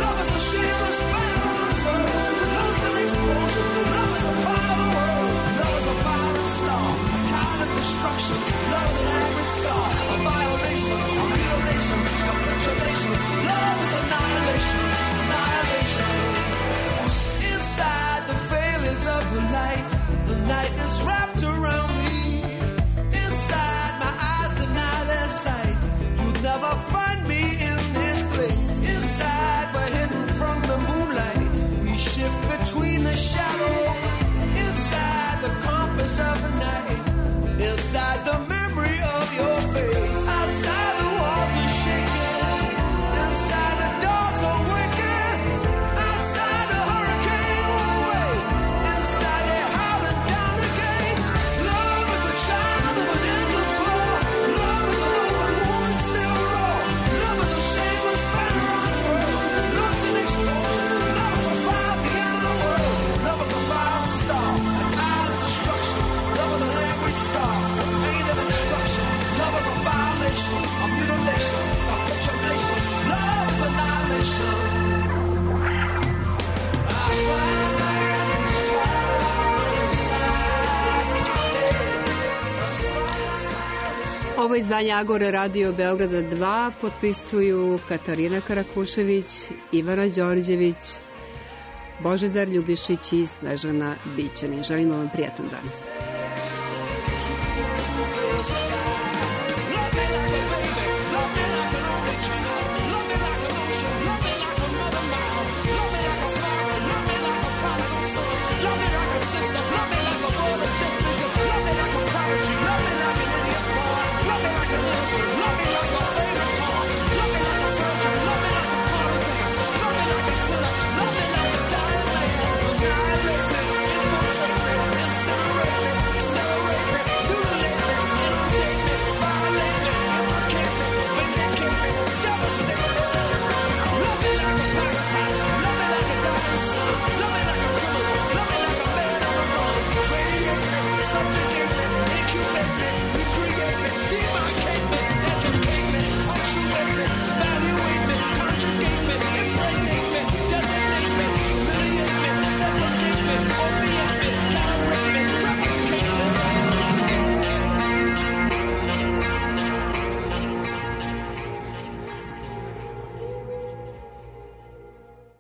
Love is a shameless fire on the floor. Love is an explosion. Love is a fire of the world. Ovo izdanje Agore Radio Beograda 2 potpisuju Katarina Karakušević, Ivana Đorđević, Božidar Ljubišić i Snežana Bićanin. Želimo vam prijatan dan.